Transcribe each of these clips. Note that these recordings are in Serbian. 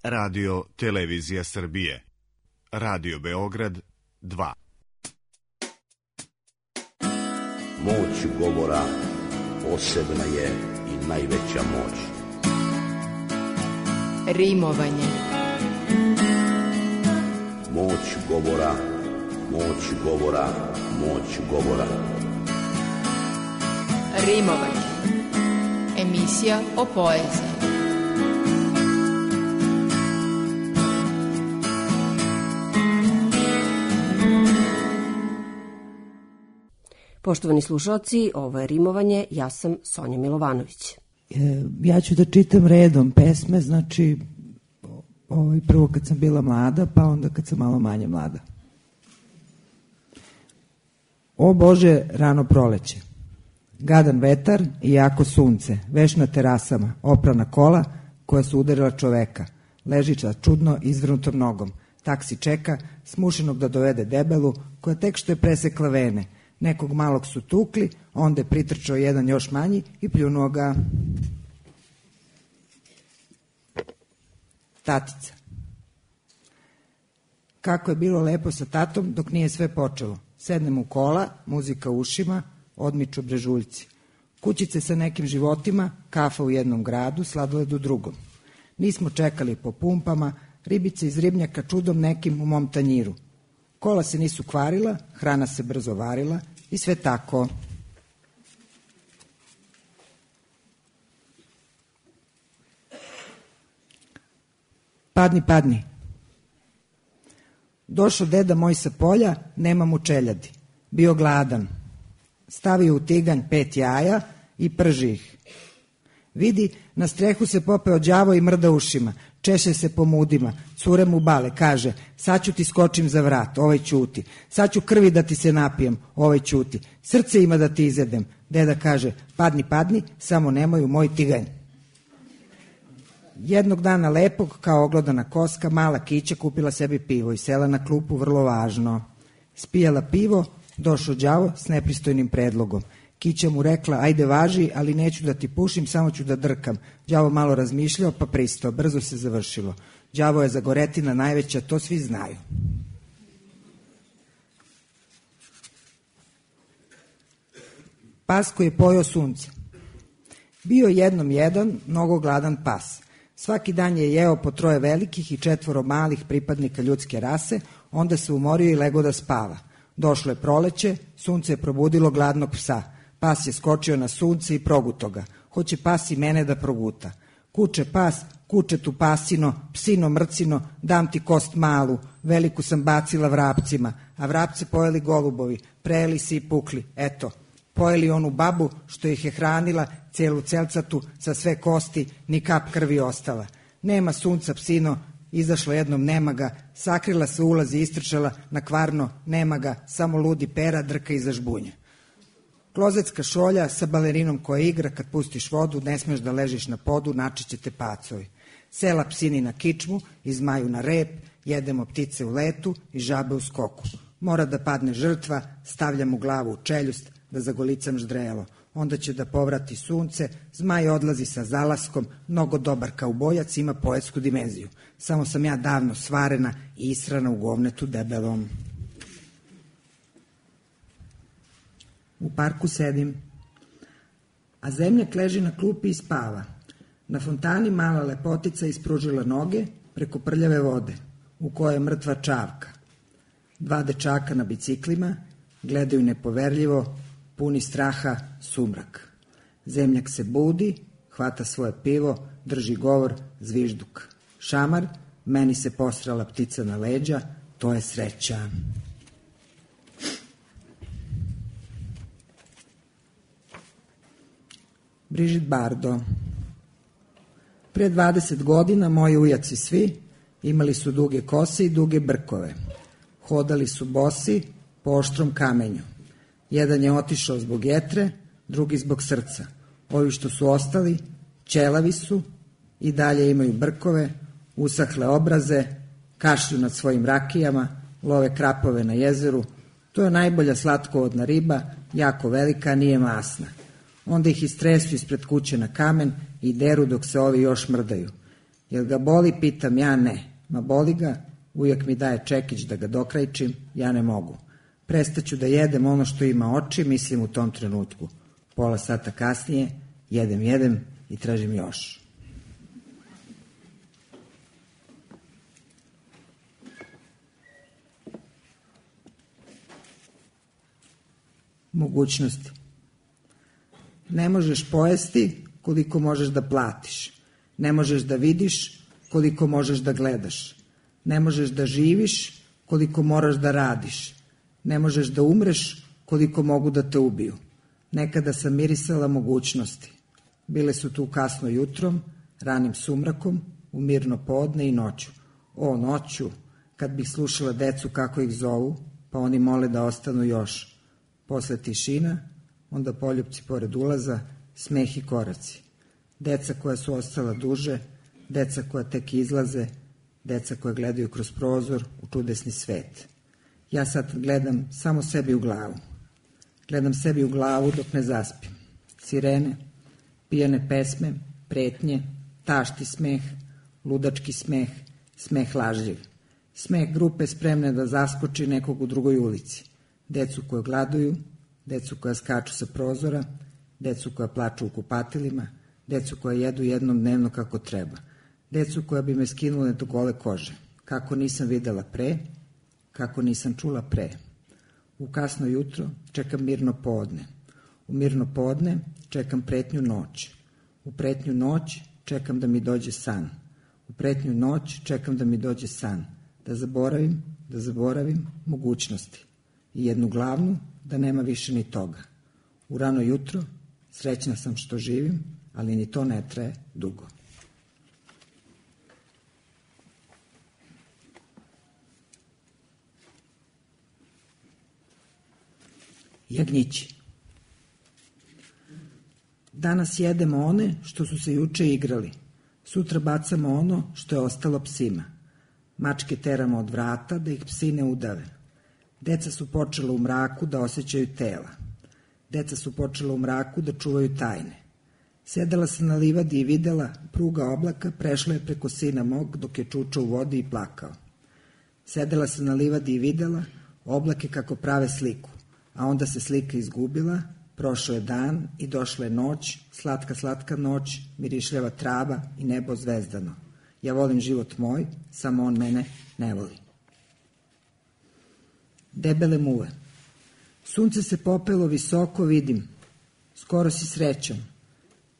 Radio Televizija Srbije. Radio Beograd 2. Moć govora posebna je i najveća moć. Rimovanje. Moć govora, moć govora, moć govora. Rimovanje. Emisija o poeziji. Poštovani slušalci, ovo je Rimovanje, ja sam Sonja Milovanović. Ja ću da čitam redom pesme, znači prvo kad sam bila mlada, pa onda kad sam malo manje mlada. O Bože, rano proleće. Gadan vetar i jako sunce, veš na terasama, oprana kola koja su udarila čoveka. Ležića čudno izvrnutom nogom. Taksi čeka, smušenog da dovede debelu, koja tek što je presekla vene. Nekog malog su tukli, onda je pritrčao jedan još manji i pljunuo ga. Tatica. Kako je bilo lepo sa tatom dok nije sve počelo. Sednem u kola, muzika u ušima, odmiču brežuljci. Kućice sa nekim životima, kafa u jednom gradu, sladoled u drugom. Nismo čekali po pumpama, ribice iz ribnjaka čudom nekim u mom tanjiru. Kola se nisu kvarila, hrana se brzo varila i sve tako. Padni, padni. Došao deda moj sa polja, nema mu čeljadi. Bio gladan. Stavio u tiganj 5 jaja i prži ih. Vidi, na strehu se popeo đavo i mrda ušima. Češe se po mudima, cure mu bale, kaže, sad ću ti skočim za vrat, ovaj ćuti. Sad ću krvi da ti se napijem, ovaj ćuti. Srce ima da ti izjedem. Deda kaže, padni, padni, samo nemoj u moj tiganj. Jednog dana lepog, kao oglodana koska, mala Kića kupila sebi pivo i sela na klupu, vrlo važno. Spijala pivo, došao đavo s nepristojnim predlogom. Kića mu rekla, ajde važi, ali neću da ti pušim, samo ću da drkam. Đavo malo razmišljao, pa pristao, brzo se završilo. Đavo je zagoretina najveća, to svi znaju. Pas koji je pojeo sunce. Bio jednom jedan, mnogo gladan pas. Svaki dan je jeo po 3 velikih i 4 malih pripadnika ljudske rase, onda se umorio i legao da spava. Došlo je proleće, sunce je probudilo gladnog psa. Pas je skočio na sunce i proguto ga. Hoće pas i mene da proguta. Kuče pas, kuče tu pasino, psino mrcino, dam ti kost malu, veliku sam bacila vrapcima, a vrapce pojeli golubovi, prejeli se i pukli, eto. Pojeli onu babu što ih je hranila, celu celcatu, sa sve kosti, ni kap krvi ostala. Nema sunca, psino, izašlo jednom, nema ga, sakrila se ulazi, istrčala, na kvarno, nema ga, samo ludi pera drka iza žbunja. Klozetska šolja sa balerinom koja igra, kad pustiš vodu, ne smeš da ležiš na podu, načiće te pacovi. Sela psini na kičmu, izmaju na rep, jedemo ptice u letu i žabe u skoku. Mora da padne žrtva, stavljam mu glavu u čeljust, da zagolicam ždrelo. Onda će da povrati sunce, zmaj odlazi sa zalaskom, mnogo dobar kaubojac, ima poetsku dimenziju. Samo sam ja davno svarena i israna u govnetu debelom. U parku sedim, a zemljak leži na klupi i spava. Na fontani mala lepotica ispružila noge preko prljave vode, u kojoj je mrtva čavka. 2 dečaka na biciklima gledaju nepoverljivo, puni straha, sumrak. Zemljak se budi, hvata svoje pivo, drži govor, zvižduk. Šamar, meni se posrala ptica na leđa, to je sreća. Brigitte Bardot. Pre 20 godina moji ujaci svi imali su duge kose i duge brkove. Hodali su bosi po oštrom kamenju. Jedan je otišao zbog jetre, drugi zbog srca. Ovi što su ostali, ćelavi su i dalje imaju brkove, usahle obraze, kašlju nad svojim rakijama, love krapove na jezeru. To je najbolja slatkovodna riba, jako velika, nije masna. Onda ih istresu ispred kuće na kamen i deru dok se ovi još mrdaju. Jel ga boli, pitam, ja ne. Ma boli ga, ujak mi daje čekić da ga dokrajčim, ja ne mogu. Prestaću da jedem ono što ima oči, mislim u tom trenutku. Pola sata kasnije, jedem i tražim još. Mogućnosti. Ne možeš pojesti koliko možeš da platiš. Ne možeš da vidiš koliko možeš da gledaš. Ne možeš da živiš koliko moraš da radiš. Ne možeš da umreš koliko mogu da te ubiju. Nekada sam mirisala mogućnosti. Bile su tu kasno jutrom, ranim sumrakom, u mirno podne i noću. O, noću, kad bih slušala decu kako ih zovu, pa oni mole da ostanu još. Posle tišina, onda poljupci pored ulaza, smeh i koraci. Deca koja su ostala duže, deca koja tek izlaze, deca koja gledaju kroz prozor u čudesni svet. Ja sad gledam samo sebi u glavu. Gledam sebi u glavu dok ne zaspim. Sirene, pijane pesme, pretnje, tašti smeh, ludački smeh, smeh lažljiv. Smeh grupe spremne da zaskoči nekog u drugoj ulici. Decu koje gladuju, decu koja skaču sa prozora, decu koja plaču u kupatilima, decu koja jedu jednom dnevno kako treba, decu koja bi me skinule do gole kože, kako nisam videla pre, kako nisam čula pre. U kasno jutro čekam mirno podne, u mirno podne čekam pretnju noć, u pretnju noć čekam da mi dođe san, u pretnju noć čekam da mi dođe san, da zaboravim mogućnosti i jednu glavnu, da nema više ni toga. U rano jutro srećna sam što živim, ali ni to ne traje dugo. Jagnjići. Danas jedemo one što su se juče igrali. Sutra bacamo ono što je ostalo psima. Mačke teramo od vrata da ih psi ne udave. Deca su počela u mraku da osjećaju tela. Deca su počela u mraku da čuvaju tajne. Sedela sam na livadi i videla, pruga oblaka prešla je preko sina mog dok je čučao u vodi i plakao. Sedela sam na livadi i videla oblake kako prave sliku, a onda se slika izgubila, prošao je dan i došla je noć, slatka, slatka noć, mirišljava trava i nebo zvezdano. Ja volim život moj, samo on mene ne voli. Debele muve. Sunce se popelo visoko, vidim. Skoro si srećan.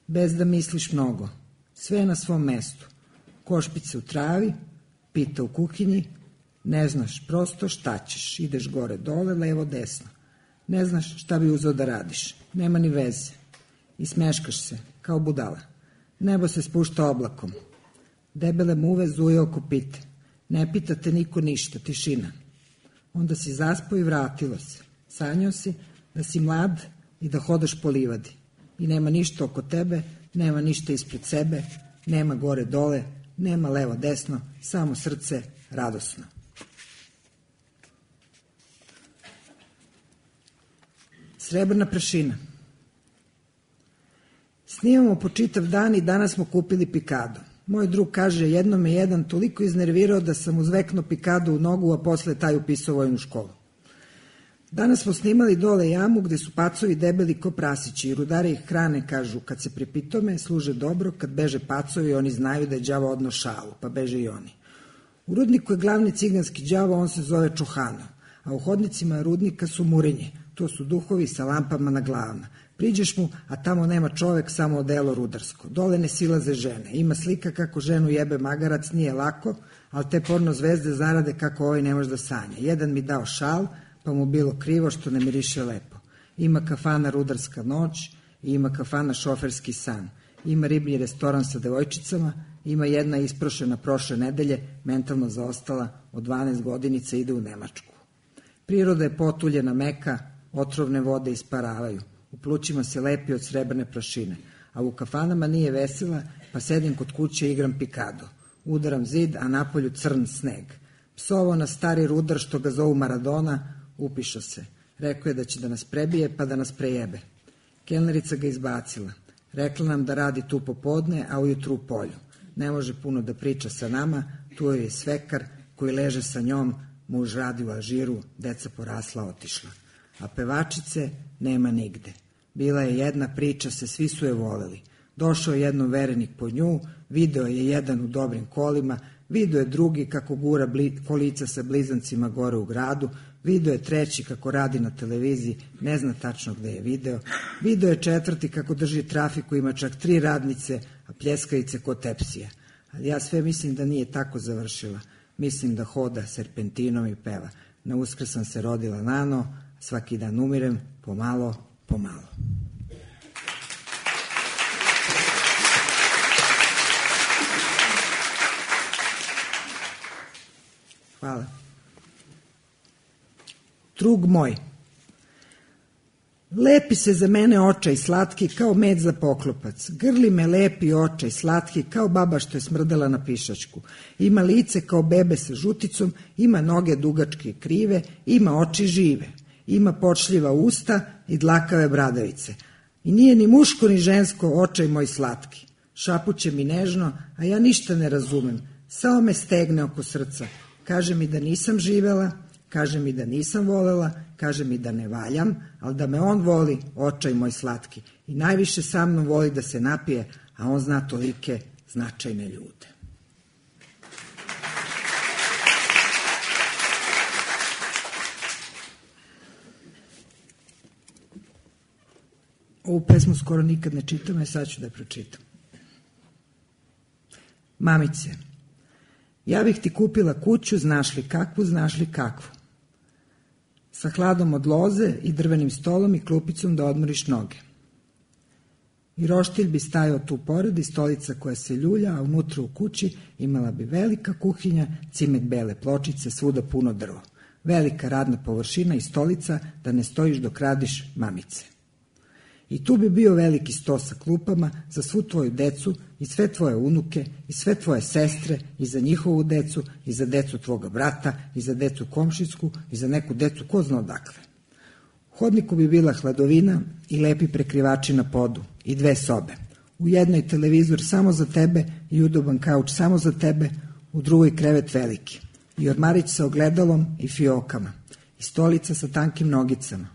Bez da misliš mnogo. Sve je na svom mestu. Košpice u travi, pita u kuhinji. Ne znaš prosto šta ćeš. Ideš gore, dole, levo, desno. Ne znaš šta bi uzeo da radiš. Nema ni veze. I smeškaš se, kao budala. Nebo se spušta oblakom. Debele muve zuje oko pite. Ne pita te niko ništa, tišina. Onda si zaspao i vratilo se. Sanjao si da si mlad i da hodaš po livadi. I nema ništa oko tebe, nema ništa ispred sebe, nema gore dole, nema levo desno, samo srce radosno. Srebrna prašina. Snimamo po čitav dan i danas smo kupili pikado. Moj drug kaže, jednom me jedan toliko iznervirao da sam uzveknuo pikado u nogu, a posle taj upisao vojnu školu. Danas smo snimali dole jamu gde su pacovi debeli ko prasići i rudari ih hrane, kažu, kad se pripitome, služe dobro, kad beže pacovi, oni znaju da je đavo odno šalu, pa beže i oni. U rudniku je glavni ciganski đavo, on se zove Čohano, a u hodnicima rudnika su murinje, to su duhovi sa lampama na glavama. Priđeš mu, a tamo nema čovek, samo odelo rudarsko. Dole ne silaze žene. Ima slika kako ženu jebe magarac, nije lako, ali te porno zvezde zarade kako ovaj ne može da sanja. Jedan mi dao šal, pa mu bilo krivo što ne miriše lepo. Ima kafana rudarska noć, ima kafana šoferski san. Ima riblji restoran sa devojčicama, ima jedna isprošena prošle nedelje, mentalno zaostala, od 12 godinica ide u Nemačku. Priroda je potuljena meka, otrovne vode isparavaju. U plućima se lepi od srebrne prašine, a u kafanama nije vesela, pa sedim kod kuće i igram pikado. Udaram zid, a napolju crn sneg. Psovo na stari rudar što ga zovu Maradona, upišao se. Rekao je da će da nas prebije, pa da nas prejebe. Kelnerica ga izbacila. Rekla nam da radi tu popodne, a ujutru u polju. ne može puno da priča sa nama, tu joj je svekar koji leže sa njom, muž radi u Alžiru, deca porasla, otišla. A pevačice nema nigde. Bila je jedna priča, svi su je voleli. Došao je jednom verenik po nju, video je jedan u dobrim kolima, video je drugi kako gura kolica sa blizancima gore u gradu, video je treći kako radi na televiziji, ne zna tačno gde je video je četvrti kako drži trafiku, ima čak 3 radnice, a pljeskavice ko tepsija. Ali ja sve mislim da nije tako završila. Mislim da hoda serpentinom i peva. Na Uskrs sam se rodila nano, svaki dan umirem, pomalo, pomalo. Hvala. Drug moj. Lepi se za mene očaj slatki kao med za poklopac. Grli me lepi očaj slatki kao baba što je smrdala na pišačku. Ima lice kao bebe sa žuticom, ima noge dugačke i krive, ima oči žive. Ima počljiva usta i dlakave bradavice. I nije ni muško ni žensko očaj moj slatki. Šapuće mi nežno, a ja ništa ne razumem. Samo me stegne oko srca. Kaže mi da nisam živela, kaže mi da nisam volela, kaže mi da ne valjam, ali da me on voli, očaj moj slatki. I najviše sa mnom voli da se napije, a on zna tolike značajne ljude. Ovu pesmu skoro nikad ne čitam, a sad ću da je pročitam. Mamice, ja bih ti kupila kuću, znaš li kakvu, sa hladom od loze i drvenim stolom i klupicom da odmoriš noge. I roštilj bi stajao tu pored i stolica koja se ljulja, a unutra u kući imala bi velika kuhinja, cimet bele pločice, svuda puno drvo. Velika radna površina i stolica da ne stojiš dok radiš, mamice. I tu bi bio veliki sto sa klupama za svu tvoju decu i sve tvoje unuke i sve tvoje sestre i za njihovu decu i za decu tvoga brata i za decu komšinsku i za neku decu ko zna odakle. U hodniku bi bila hladovina i lepi prekrivači na podu i 2 sobe. U jednoj televizor samo za tebe i udoban kauč samo za tebe, u drugoj krevet veliki. I ormarić sa ogledalom i fiokama. I stolica sa tankim nogicama.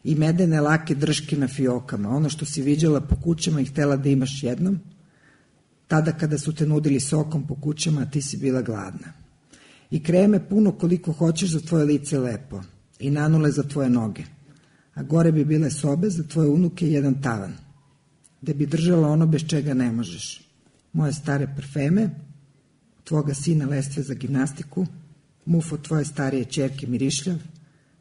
I medene lake drške na fiokama, ono što si viđala po kućama i htela da imaš jednom, tada kada su te nudili sokom po kućama, a ti si bila gladna. I kreme puno koliko hoćeš za tvoje lice lepo, i nanule za tvoje noge, a gore bi bile sobe za tvoje unuke i jedan tavan, gde bi držala ono bez čega ne možeš. Moje stare parfeme, tvoga sina lestve za gimnastiku, muf od tvoje starije ćerke mirišljav,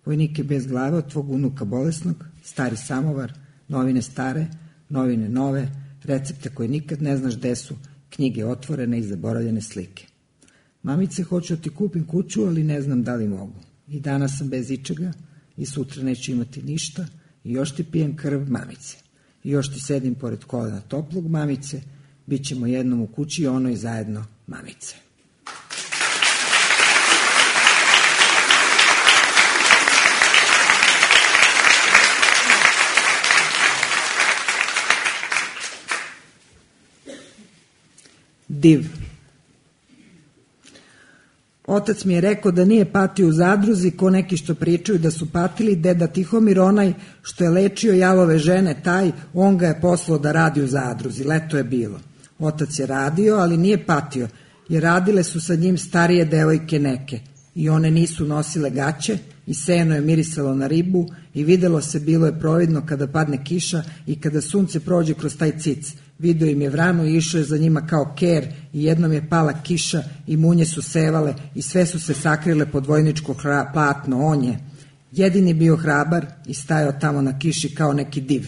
vojnike bez glave od tvog unuka bolesnog, stari samovar, novine stare, novine nove, recepte koje nikad ne znaš gde su, knjige otvorene i zaboravljene slike. Mamice, hoću da ti kupim kuću, ali ne znam da li mogu. I danas sam bez ičega i sutra neću imati ništa i još ti pijem krv, mamice. I još ti sedim pored kolena toplog, mamice, bit ćemo jednom u kući i ono i zajedno, mamice. Div. Otac mi je rekao da nije patio u zadruzi ko neki što pričaju da su patili, deda Tihomir onaj što je lečio jalove žene, taj, on ga je poslao da radi u zadruzi, leto je bilo. Otac je radio, ali nije patio, jer radile su sa njim starije devojke neke i one nisu nosile gaće i seno je mirisalo na ribu i videlo se, bilo je providno kada padne kiša i kada sunce prođe kroz taj cic. Video im je vranu i išao je za njima kao ker i jednom je pala kiša i munje su sevale i sve su se sakrile pod vojničko platno. On je jedini bio hrabar i stajao tamo na kiši kao neki div.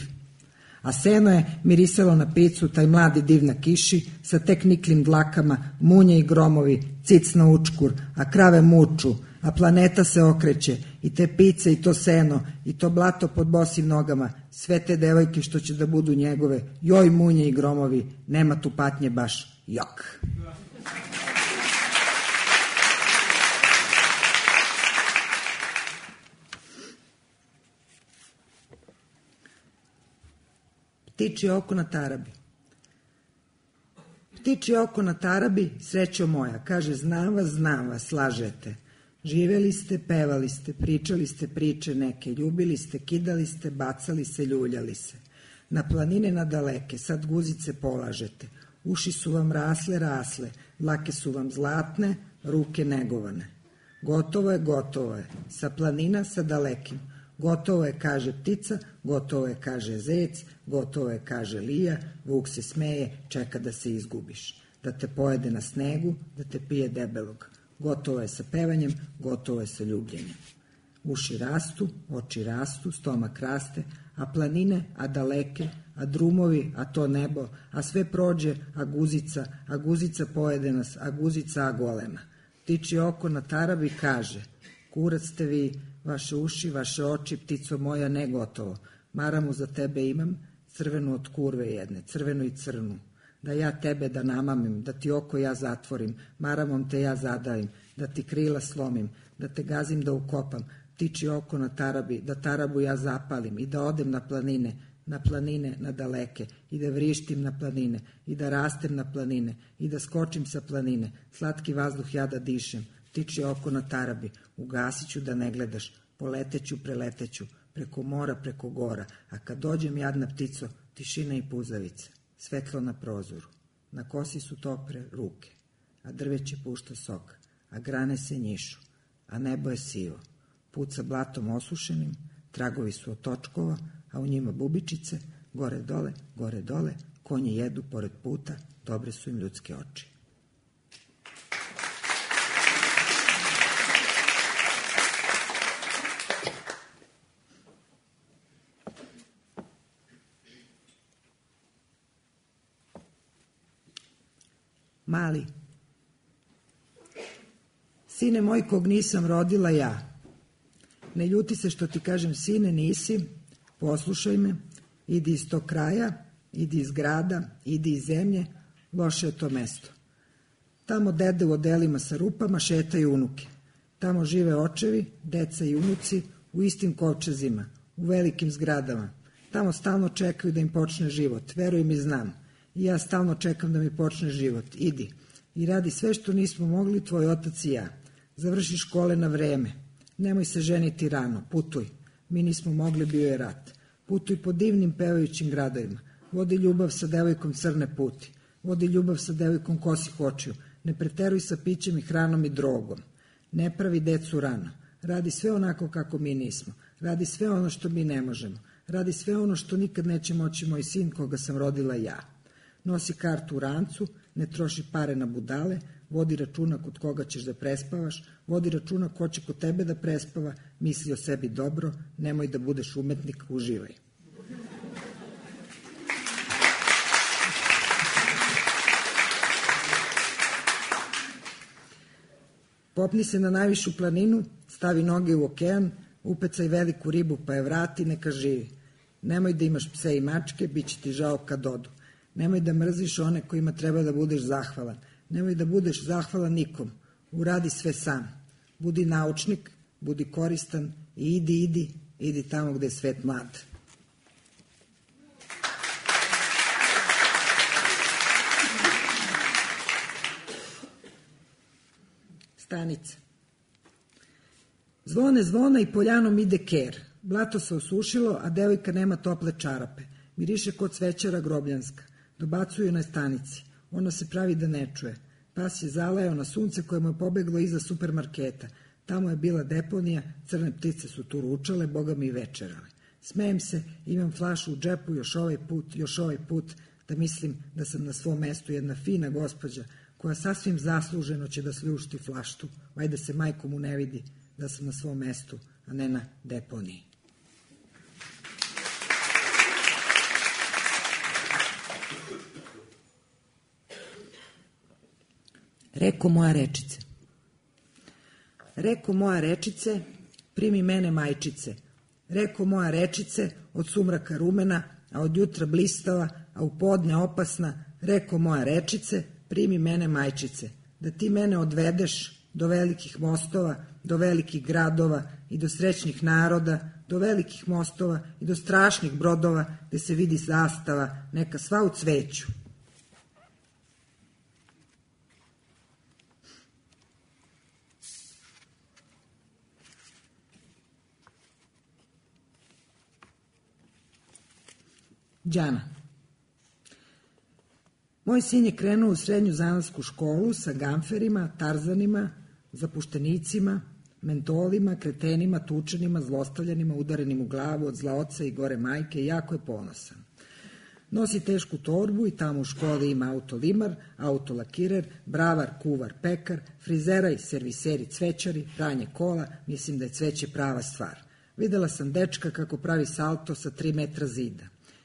A seno je mirisalo na picu, taj mladi div na kiši, sa tek niklim dlakama, munje i gromovi, cic na učkur, a krave muču, a planeta se okreće, i te pice i to seno, i to blato pod bosim nogama, sve te devojke što će da budu njegove, joj munje i gromovi, nema tu patnje baš, jok. Ptičje oko na tarabi. Tiči oko na tarabi, srećo moja, kaže znam vas, lažete. Živeli ste, pevali ste, pričali ste priče neke, ljubili ste, kidali ste, bacali se, ljuljali se. Na planine nadaleke, sad guzice polažete. Uši su vam rasle, dlake su vam zlatne, ruke negovane. Gotovo je, sa planina, sa dalekim. Gotovo je, kaže ptica, gotovo je, kaže zec, gotovo je, kaže lija, vuk se smeje, čeka da se izgubiš. Da te pojede na snegu, da te pije debelog. Gotovo je sa pevanjem, gotovo je sa ljubljenjem. Uši rastu, oči rastu, stomak raste, a planine, a daleke, a drumovi, a to nebo, a sve prođe, a guzica pojede nas, a guzica a golema. Tiči oko na tarabi, kaže, kurac ste vi, vaše uši, vaše oči, ptico moja, ne gotovo. Maramu za tebe imam, crvenu od kurve jedne, crvenu i crnu. Da ja tebe da namamim, da ti oko ja zatvorim, maramom te ja zadavim, da ti krila slomim, da te gazim da ukopam, tiči oko na tarabi, da tarabu ja zapalim i da odem na planine, na daleke, i da vrištim na planine, i da rastem na planine, i da skočim sa planine, slatki vazduh ja da dišem, tiči oko na tarabi, ugasit ću da ne gledaš, poleteću, preleteću, preko mora, preko gora, a kad dođem jadna ptico, tišina i puzavice, svetlo na prozoru, na kosi su topre ruke, a drveće pušta sok, a grane se njišu, a nebo je sivo, puca blatom osušenim, tragovi su od točkova, a u njima bubičice, gore dole, konji jedu pored puta, dobre su im ljudske oči. Mali. Sine moj kog nisam rodila ja. Ne ljuti se što ti kažem sine nisi, poslušaj me, idi iz tog kraja, idi iz grada, idi iz zemlje, loše je to mesto. Tamo dede u odelima sa rupama šetaju unuke. Tamo žive očevi, deca i unuci u istim kovčezima, u velikim zgradama. Tamo stalno čekaju da im počne život, veruj mi znam. I ja stalno čekam da mi počne život. Idi i radi sve što nismo mogli tvoj otac i ja. Završi škole na vreme. Nemoj se ženiti rano, putuj. Mi nismo mogli, bio je rat. Putuj po divnim pevajućim gradovima. Vodi ljubav sa devojkom crne puti. Vodi ljubav sa devojkom kosih očiju. Ne preteruj sa pićem i hranom i drogom. Ne pravi decu rano. Radi sve onako kako mi nismo. Radi sve ono što mi ne možemo. Radi sve ono što nikad neće moći moj sin koga sam rodila ja. Nosi kartu u rancu, ne troši pare na budale, vodi računa kod koga ćeš da prespavaš, vodi računa ko će kod tebe da prespava, misli o sebi dobro, nemoj da budeš umetnik, uživaj. Popni se na najvišu planinu, stavi noge u okean, upecaj veliku ribu pa je vrati, neka živi. Nemoj da imaš pse i mačke, bit će ti žao kad odu. Nemoj da mrziš one kojima treba da budeš zahvalan. Nemoj da budeš zahvalan nikom. Uradi sve sam. Budi naučnik, budi koristan i idi tamo gde je svet mlad. Stanica. Zvone i poljanom ide ker. Blato se osušilo, a devojka nema tople čarape. Miriše kod cvećara grobljanska. Dobacuju na stanici. Ona se pravi da ne čuje. Pas je zalajao na sunce koje mu je pobeglo iza supermarketa. Tamo je bila deponija, crne ptice su tu ručale, boga mi i večerale. Smejem se, imam flašu u džepu još ovaj put, da mislim da sam na svom mestu jedna fina gospođa koja sasvim zasluženo će da sljušti flaštu. Vajde se majko mu ne vidi da sam na svom mestu, a ne na deponiji. Reko moja rečice, primi mene majčice. Reko moja rečice, od sumraka rumena, a od jutra blistava, a u podne opasna. Reko moja rečice, primi mene majčice. Da ti mene odvedeš do velikih mostova, do velikih gradova i do srećnih naroda, do velikih mostova i do strašnih brodova gde se vidi zastava, neka sva u cveću. Đana. Moj sin je krenuo u srednju zanatsku školu sa gamferima, tarzanima, zapuštenicima, mentolima, kretenima, tučenima, zlostavljanima, udarenim u glavu od zla oca i gore majke i jako je ponosan. Nosi tešku torbu i tamo u školi ima autolimar, autolakirer, bravar, kuvar, pekar, frizeraj, serviseri, cvećari, pranje kola, mislim da je cveće prava stvar. Videla sam dečka kako pravi salto sa 3 metra zida.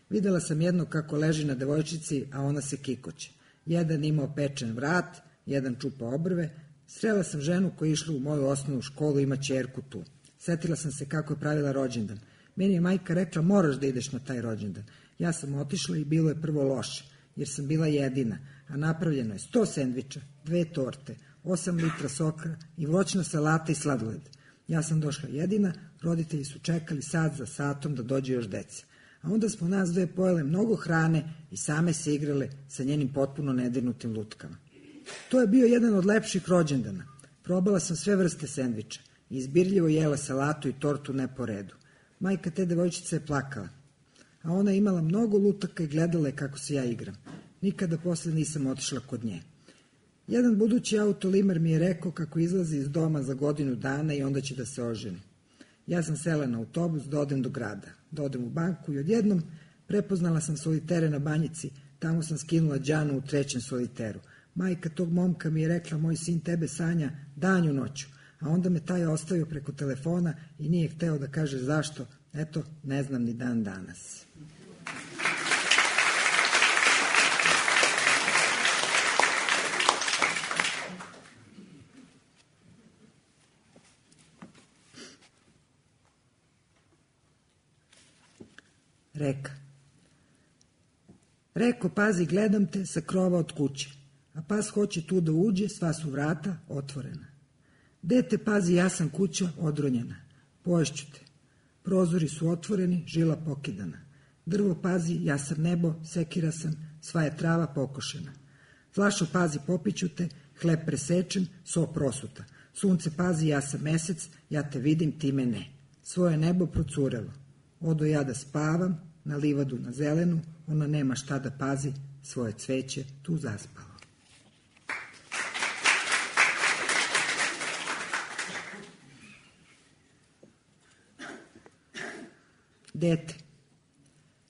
Videla sam jednog kako leži na devojčici, a ona se kikoće. Jedan imao pečen vrat, jedan čupa obrve. Srela sam ženu koja je išla u moju osnovnu školu, ima ćerku tu. Setila sam se kako je pravila rođendan. Meni je majka rekla, moraš da ideš na taj rođendan. Ja sam otišla i bilo je prvo loše, jer sam bila jedina, a napravljeno je 100 sendviča, 2 torte, 8 litra soka i voćna salata i sladoled. Ja sam došla jedina, roditelji su čekali sat za satom da dođe još deca. A onda smo nas dve pojele mnogo hrane i same se igrale sa njenim potpuno nedirnutim lutkama. To je bio jedan od lepših rođendana. Probala sam sve vrste sendviča i izbirljivo jela salatu i tortu ne po redu. Majka te devojčice je plakala, a ona je imala mnogo lutaka i gledala je kako se ja igram. Nikada posle nisam otišla kod nje. Jedan budući autolimer mi je rekao kako izlazi iz doma za godinu dana i onda će da se oženi. Ja sam sela na autobus da odem do grada, da odem u banku i odjednom prepoznala sam solitere na banjici, tamo sam skinula Đanu u 3. soliteru. Majka tog momka mi je rekla, moj sin tebe sanja danju noću, a onda me taj ostavio preko telefona i nije hteo da kaže zašto, eto, ne znam ni dan danas. Reka. Reko, pazi, gledam te sa krova od kuće, a pas hoće tu da uđe, sva su vrata otvorena. Dete, pazi, ja sam kuća odronjena, poješću te. Prozori su otvoreni, žila pokidana. Drvo, pazi, ja sam nebo, sekira sam, sva je trava pokošena. Flašo, pazi, popiću te, hleb presečen, so prosuta. Sunce, pazi, ja sam mesec, ja te vidim, ti me ne. Svoje nebo procurelo. Odo ja da spavam, na livadu na zelenu, ona nema šta da pazi, svoje cveće tu zaspalo. Dete.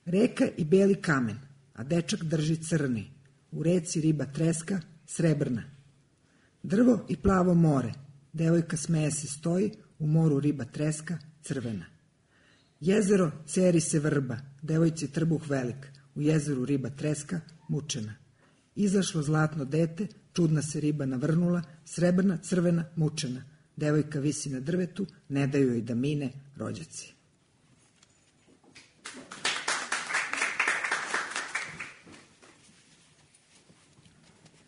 Reka i beli kamen, a dečak drži crni. U reci riba treska, srebrna. Drvo i plavo more, devojka smeje se stoji, u moru riba treska, crvena. Jezero, ceri se vrba, devojci trbuh velik, u jezeru riba treska, mučena. Izašlo zlatno dete, čudna se riba navrnula, srebrna, crvena, mučena. Devojka visi na drvetu, ne daju joj da mine rođaci.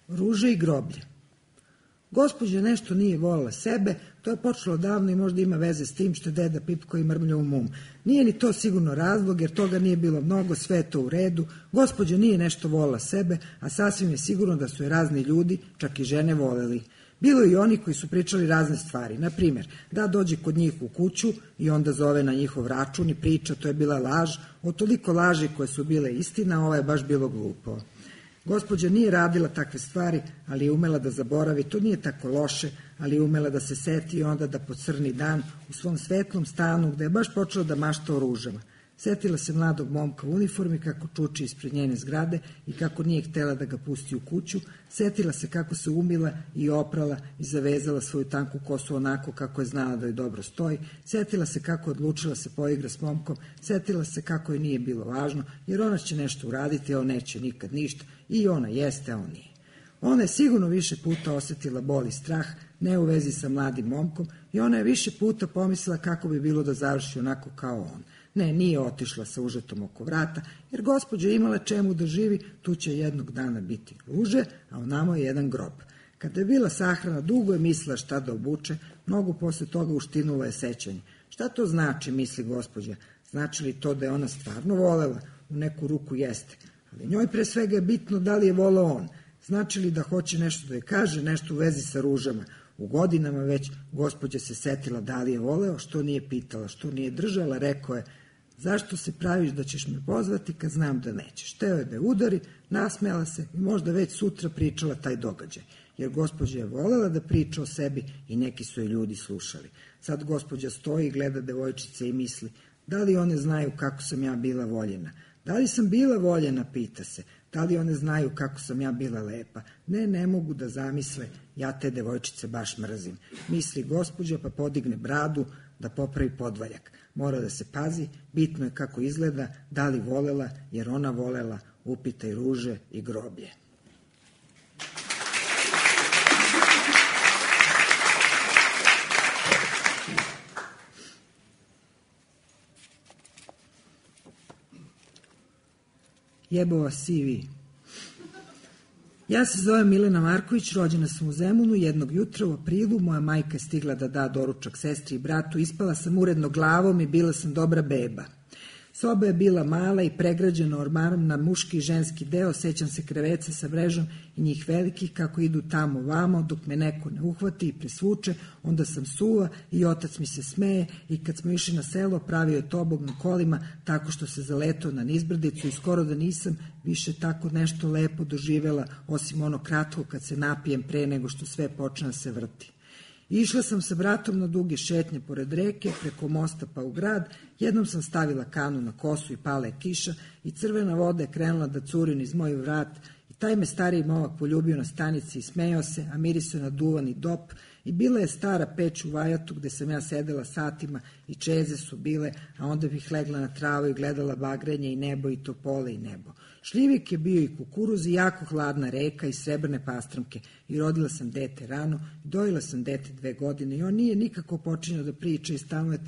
Ruže i groblje. Gospođa nešto nije volila sebe, to je počelo davno i možda ima veze s tim što je deda pipko i mrmlja u mum. Nije ni to sigurno razlog, jer toga nije bilo mnogo, sve je to u redu. Gospođa nije nešto volila sebe, a sasvim je sigurno da su je razni ljudi, čak i žene, voleli. Bilo je i oni koji su pričali razne stvari. Na primjer, da dođe kod njih u kuću i onda zove na njihov račun i priča, to je bila laž. Od toliko laži koje su bile istina, ovo je baš bilo glupo. Gospođa nije radila takve stvari, ali je umela da zaboravi, to nije tako loše, ali je umela da se seti i onda da po crni dan u svom svetlom stanu, gde je baš počela da mašta o ružama. Setila se mladog momka u uniformi kako čuči ispred njene zgrade i kako nije htela da ga pusti u kuću. Setila se kako se umila i oprala i zavezala svoju tanku kosu onako kako je znala da joj dobro stoji. Setila se kako je odlučila se poigra s momkom. Setila se kako joj nije bilo važno, jer ona će nešto uraditi, a on neće nikad ništa. I ona jeste, a on nije. Ona je sigurno više puta osetila bol i strah, ne u vezi sa mladim momkom, i ona je više puta pomislila kako bi bilo da završi onako kao on. Ne, nije otišla sa užetom oko vrata, jer gospođa imala čemu da živi, tu će jednog dana biti ruže, a onamo je jedan grob. Kada je bila sahrana, dugo je mislila šta da obuče, mnogo posle toga uštinula je sećanje. Šta to znači, misli gospođa? Znači li to da je ona stvarno volela? U neku ruku jeste. Ali njoj pre svega je bitno da li je voleo on. Znači li da hoće nešto da je kaže, nešto u vezi sa ružama? U godinama već gospođa se setila da li je voleo, što nije pitala, što nije držala, rekao je, Zašto se praviš da ćeš me pozvati kad znam da nećeš? Teo je da je udari, nasmejala se i možda već sutra pričala taj događaj. Jer gospođa je volela da priča o sebi i neki su je ljudi slušali. Sad gospođa stoji i gleda devojčice i misli, da li one znaju kako sam ja bila voljena? Da li sam bila voljena, pita se. Da li one znaju kako sam ja bila lepa? Ne mogu da zamisle, ja te devojčice baš mrzim. Misli gospođa pa podigne bradu da popravi podvaljak. Mora da se pazi, bitno je kako izgleda, da li volela, jer ona volela, upitaj ruže i groblje. Jebova si vi. Ja se zovem Milena Marković, rođena sam u Zemunu, jednog jutra u aprilu, moja majka je stigla da da doručak sestri i bratu, ispala sam uredno glavom i bila sam dobra beba. Soba je bila mala i pregrađena ormarom na muški i ženski deo, sećam se kreveca sa mrežom i njih velikih kako idu tamo vamo, dok me neko ne uhvati i presvuče, onda sam suva i otac mi se smeje i kad smo išli na selo pravio je tobog na kolima tako što se zaletao na nizbrdicu i skoro da nisam više tako nešto lepo doživela, osim ono kratko kad se napijem pre nego što sve počne da se vrti. Išla sam sa bratom na duge šetnje pored reke, preko mosta pa u grad, jednom sam stavila kanu na kosu i pala je kiša i crvena voda je krenula da curi niz moj vrat i taj me stariji momak poljubio na stanici i smejao se, a mirisao na duvani dop i bila je stara peć u vajatu gde sam ja sedela satima i čeze su bile, a onda bih legla na travu i gledala bagrenje i nebo i topole i nebo. Šljivik je bio i kukuruz i jako hladna reka i srebrne pastramke i rodila sam dete rano i dojila sam dete 2 godine i on nije nikako počinjao da priča i stalno je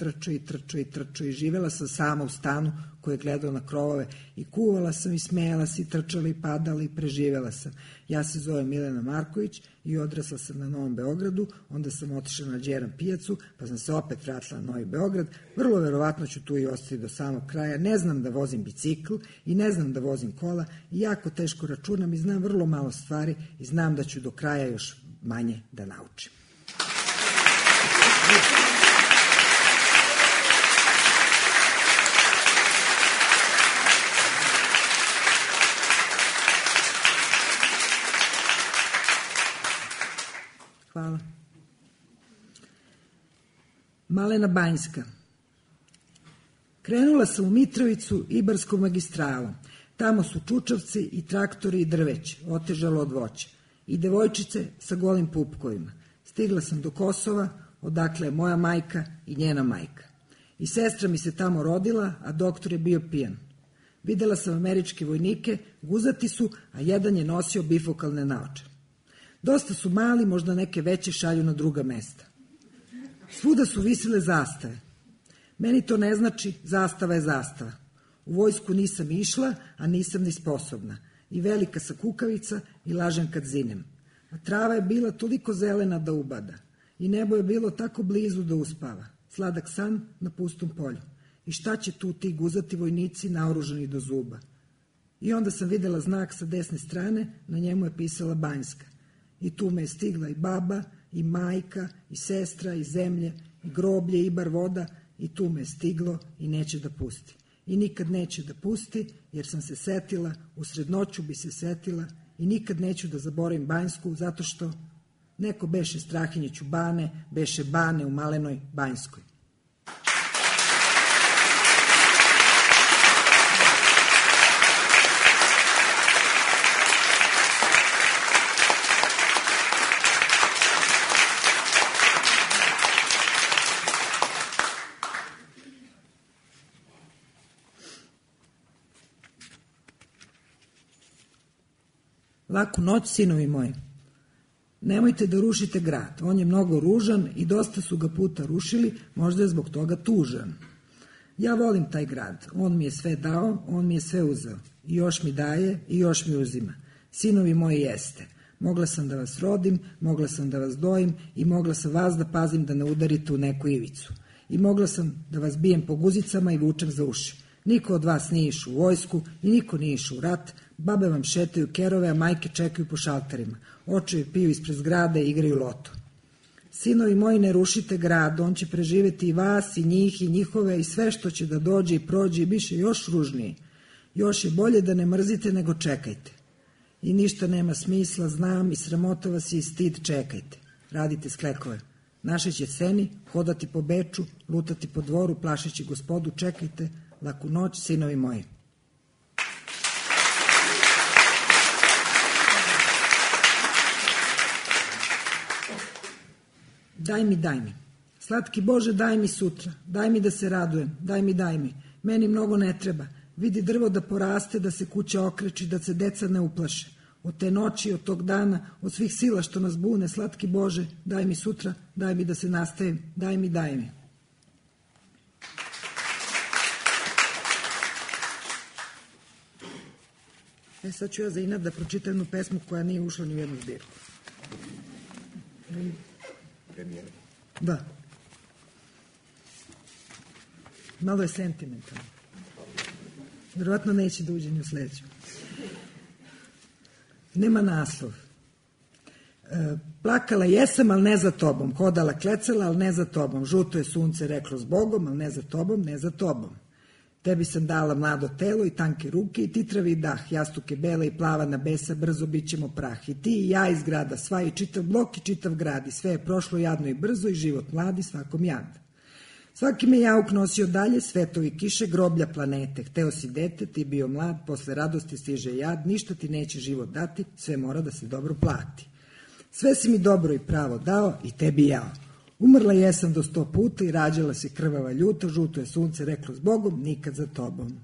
trčao i živela sam sama u stanu koji je gledao na krovove i kuvala sam i smejala se i trčala i padala i preživela sam. Ja se zovem Milena Marković i odrasla sam na Novom Beogradu, onda sam otišla na Đeran pijacu, pa sam se opet vratila na Novi Beograd, vrlo verovatno ću tu i ostati do samog kraja, ne znam da vozim bicikl i ne znam da vozim kola i jako teško računam i znam vrlo malo stvari i znam da ću do kraja još manje da naučim. Hvala. Malena Banjska. Krenula sam u Mitrovicu Ibarskom magistralom. Tamo su čučavci i traktori i drveće, otežalo od voća. I devojčice sa golim pupkovima. Stigla sam do Kosova, odakle je moja majka i njena majka. I sestra mi se tamo rodila, a doktor je bio pijan. Videla sam američke vojnike, guzati su, a jedan je nosio bifokalne naočare. Dosta su mali, možda neke veće šalju na druga mesta. Svuda su visile zastave. Meni to ne znači, zastava je zastava. U vojsku nisam išla, a nisam ni sposobna. I velika sa kukavica i lažem kad zinem. A trava je bila toliko zelena da ubada. I nebo je bilo tako blizu da uspava. Sladak san na pustom polju. I šta će tu ti guzati vojnici naoružani do zuba? I onda sam videla znak sa desne strane, na njemu je pisala Banjska. I tu me je stigla i baba, i majka, i sestra, i zemlje, i groblje, i bar voda, i tu me je stiglo i neće da pusti. I nikad neće da pusti, jer sam se setila, usred noću bi se setila, i nikad neću da zaboravim Banjsku, zato što neko beše Strahinjiću Bane, beše Bane u Malenoj Banjskoj. Laku noć, sinovi moji. Nemojte da rušite grad. On je mnogo ružan i dosta su ga puta rušili, možda je zbog toga tužan. Ja volim taj grad. On mi je sve dao, on mi je sve uzeo. I još mi daje i još mi uzima. Sinovi moji jeste. Mogla sam da vas rodim, mogla sam da vas dojim i mogla sam vas da pazim da ne udarite u neku ivicu. I mogla sam da vas bijem po guzicama i vučem za uši. Niko od vas nije išao u vojsku i niko nije išao u rat. Babe vam šetaju kerove, a majke čekaju po šalterima. Očevi piju ispred zgrade i igraju loto. Sinovi moji, ne rušite grad, on će preživeti i vas, i njih, i njihove, i sve što će da dođe i prođe i biše još ružnije. Još je bolje da ne mrzite nego čekajte. I ništa nema smisla, znam, i sramota vas je i stid, čekajte. Radite sklekove. Naše će seni, hodati po Beču, lutati po dvoru, plašeći gospodu, čekajte, laku noć, sinovi moji. Daj mi, slatki Bože, daj mi sutra, daj mi da se radujem, daj mi, meni mnogo ne treba, vidi drvo da poraste, da se kuća okreči, da se deca ne uplaše. Od te noći, od tog dana, od svih sila što nas bune, slatki Bože, daj mi sutra, daj mi da se nastavim, daj mi. Sad ću ja za inat da pročitam jednu pesmu koja nije ušla ni u jednu zbirku. Premijer. Da. Malo je sentimentalno. Vjerovatno neće da uđe ni u sledeću. Nema naslov. Plakala jesam, ali ne za tobom. Hodala klecala, ali ne za tobom. Žuto je sunce reklo zbogom, ali ne za tobom, ne za tobom. Tebi sam dala mlado telo i tanke ruke i titravi dah, jastuke bela i plava na besa, brzo bit ćemo prah. I ti i ja iz grada, sva i čitav blok i čitav grad, i sve je prošlo jadno i brzo i život mladi svakom jad. Svaki me jauk nosio dalje, svetovi kiše, groblja planete. Hteo si dete, ti bio mlad, posle radosti stiže jad, ništa ti neće život dati, sve mora da se dobro plati. Sve si mi dobro i pravo dao i tebi jao. Umrla jesam do 100 puta i rađala se krvava ljuta, žuto je sunce reklo zbogom, nikad za tobom.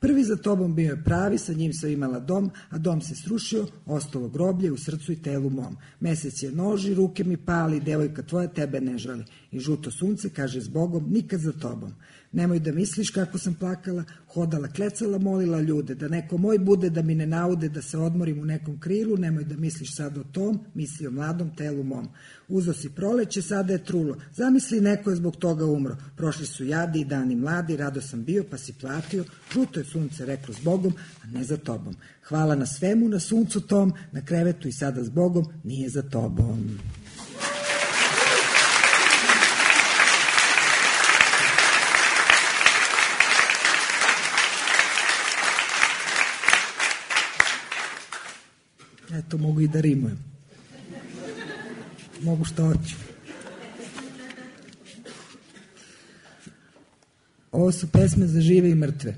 Prvi za tobom bio je pravi, sa njim sam imala dom, a dom se srušio, ostalo groblje u srcu i telu mom. Mesec je noži, ruke mi pali, devojka tvoja tebe ne žali. I žuto sunce kaže zbogom, nikad za tobom. Nemoj da misliš kako sam plakala, hodala, klecala, molila ljude, da neko moj bude, da mi ne naude, da se odmorim u nekom krilu, nemoj da misliš sad o tom, misli o mladom telu mom. Uzo si proleće, sada je trulo, zamisli neko je zbog toga umro, prošli su jadi i dani mladi, rado sam bio pa si platio, žuto je sunce reklo zbogom, a ne za tobom. Hvala na svemu, na suncu tom, na krevetu i sada zbogom, nije za tobom. Eto, mogu i da rimujem. Mogu što hoću. Ovo su pesme za žive i mrtve.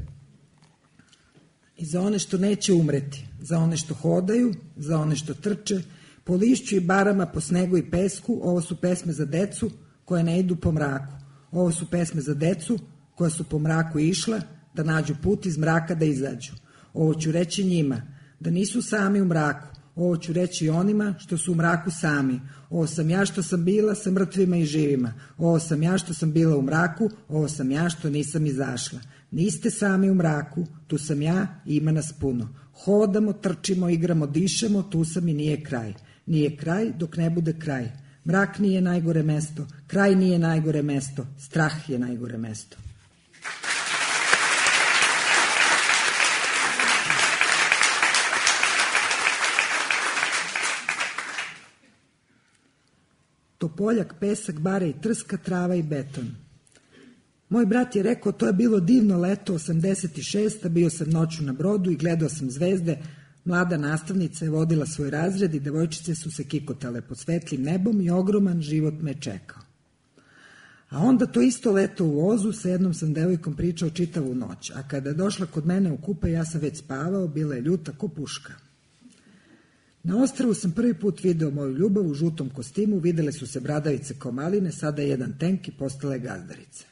I za one što neće umreti, za one što hodaju, za one što trče, po lišću i barama, po snegu i pesku. Ovo su pesme za decu koje ne idu po mraku. Ovo su pesme za decu koja su po mraku išla da nađu put iz mraka da izađu. Ovo ću reći njima, da nisu sami u mraku. Ovo ću reći i onima što su u mraku sami. Ovo sam ja što sam bila sa mrtvima i živima. Ovo sam ja što sam bila u mraku. Ovo sam ja što nisam izašla. Niste sami u mraku, tu sam ja i ima nas puno. Hodamo, trčimo, igramo, dišemo, tu sam i nije kraj. Nije kraj dok ne bude kraj. Mrak nije najgore mesto, kraj nije najgore mesto, strah je najgore mesto. Topoljak, pesak, bare i trska, trava i beton. Moj brat je rekao, to je bilo divno leto, 86. Bio sam noću na brodu i gledao sam zvezde. Mlada nastavnica je vodila svoj razred i devojčice su se kikotale pod svetlim nebom i ogroman život me čekao. A onda to isto leto u vozu, sa jednom sam devojkom pričao čitavu noć, a kada je došla kod mene u kupe, ja sam već spavao, bila je ljuta ko puška. Na ostrvu sam prvi put video moju ljubav u žutom kostimu, videle su se bradavice kao maline, sada je jedan tenk i postala je gazdarica.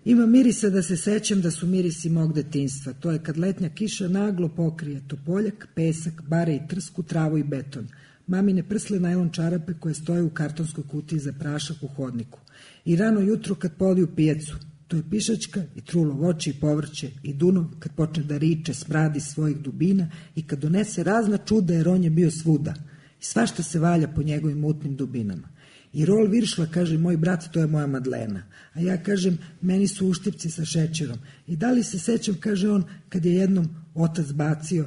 Ima mirisa da se sećam da su mirisi mog detinjstva, to je kad letnja kiša naglo pokrije topoljak, pesak, bare i trsku, travu i beton, mamine prsle najlon čarape koje stoje u kartonskoj kutiji za prašak u hodniku i rano jutro kad poliju pijecu. To je pišačka i trulo voće i povrće i Dunav kad počne da riče smradi svojih dubina i kad donese razna čuda jer on je bio svuda i svašta se valja po njegovim mutnim dubinama. I rol viršla, kaže moj brat, to je moja Madlena, a ja kažem meni su uštipci sa šećerom. I da li se sećam, kaže on, kad je jednom otac bacio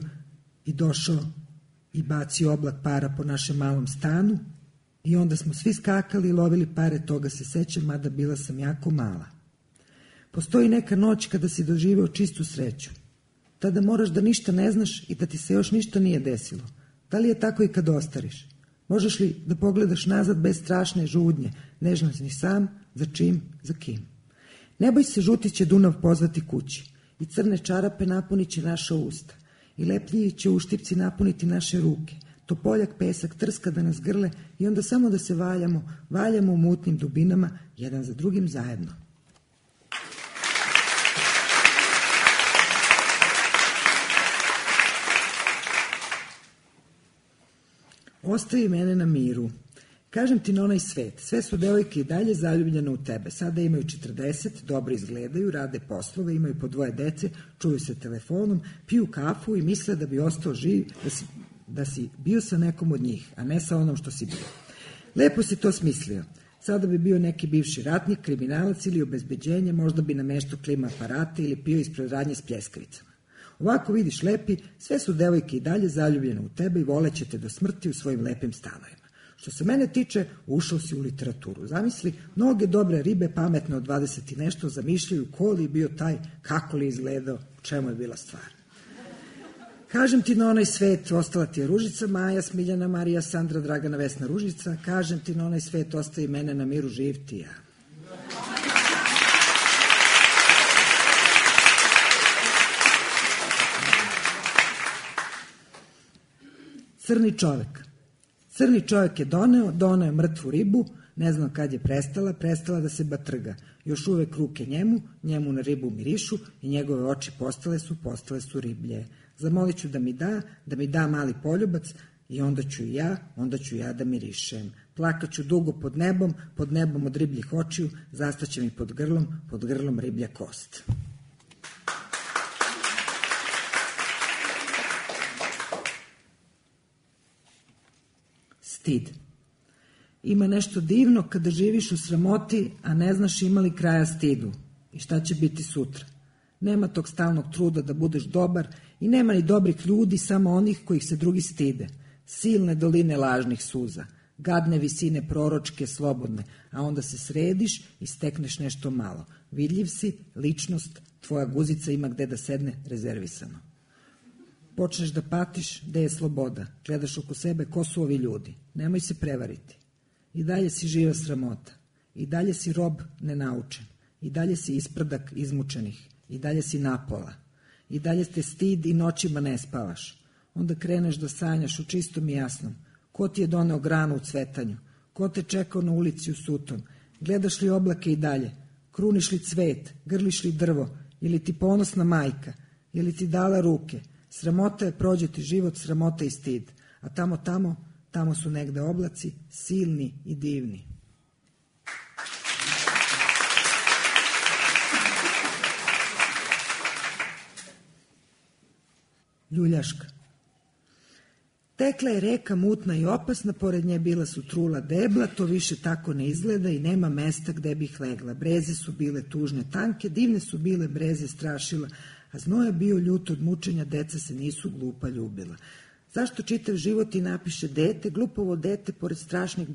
i došao i bacio oblak para po našem malom stanu I onda smo svi skakali i lovili pare, toga se sećam, mada bila sam jako mala. Postoji neka noć kada si doživeo čistu sreću. Tada moraš da ništa ne znaš i da ti se još ništa nije desilo. Da li je tako i kad ostariš? Možeš li da pogledaš nazad bez strašne žudnje, ne znaš ni sam, za čim, za kim? Ne boj se, žuti će Dunav pozvati kući i crne čarape napunit će naša usta i lepljivi će uštipci napuniti naše ruke. Topoljak pesak trska da nas grle i onda samo da se valjamo u mutnim dubinama, jedan za drugim zajedno. Ostavi mene na miru. Kažem ti na onaj svet, sve su devojke i dalje zaljubljene u tebe. Sada imaju 40, dobro izgledaju, rade poslove, imaju po 2 dece, čuju se telefonom, piju kafu i misle da bi ostao živ, da si bio sa nekom od njih, a ne sa onom što si bio. Lepo si to smislio. Sada bi bio neki bivši ratnik, kriminalac ili obezbeđenje, možda bi nameštao klima aparate ili pio ispred radnje s pljeskavicama. Ovako vidiš lepi, sve su devojke i dalje zaljubljene u tebe i voleće te do smrti u svojim lepim stanovima. Što se mene tiče, ušao si u literaturu. Zamisli, mnoge dobre ribe, pametne od 20 i nešto, zamišljaju ko li je bio taj, kako li izgledao, u čemu je bila stvar. Kažem ti na onaj svet, ostala ti je Ružica, Maja, Smiljana, Marija, Sandra, Dragana, Vesna, Ružica. Kažem ti na onaj svet, ostavi mene na miru, živ ti ja. Crni čovek. Crni čovek je doneo je mrtvu ribu, ne znam kad je prestala da se batrga. Još uvek ruke njemu na ribu mirišu i njegove oči postale su riblje. Zamolit ću da mi da mali poljubac i onda ću ja da mirišem. Plakaću dugo pod nebom od ribljih očiju, zastaće mi pod grlom riblja kost. Stid. Ima nešto divno kada živiš u sramoti, a ne znaš ima li kraja stidu i šta će biti sutra. Nema tog stalnog truda da budeš dobar i nema ni dobrih ljudi, samo onih kojih se drugi stide. Silne doline lažnih suza, gadne visine proročke, slobodne, a onda se središ i stekneš nešto malo. Vidljiv si, ličnost, tvoja guzica ima gde da sedne rezervisano. Počneš da patiš gde je sloboda, gledaš oko sebe ko su ovi ljudi. Nemoj se prevariti. I dalje si živa sramota. I dalje si rob nenaučen. I dalje si isprdak izmučenih. I dalje si napola. I dalje te stid i noćima ne spavaš. Onda kreneš da sanjaš u čistom i jasnom. Ko ti je doneo granu u cvetanju? Ko te čekao na ulici u sutom? Gledaš li oblake i dalje? Kruniš li cvet? Grliš li drvo? Ili ti ponosna majka? Ili ti dala ruke? Sramota je prođeti život, sramota i stid. A tamo su negde oblaci, silni i divni. Ljuljaška. Tekla je reka mutna i opasna, pored nje bila su trula debla, to više tako ne izgleda i nema mesta gde bih legla. Breze su bile tužne, tanke, divne su bile breze strašila, a znoj je bio ljut od mučenja, deca se nisu glupa ljubila. Zašto čitav život i napiše dete, glupovo dete, pored strašnih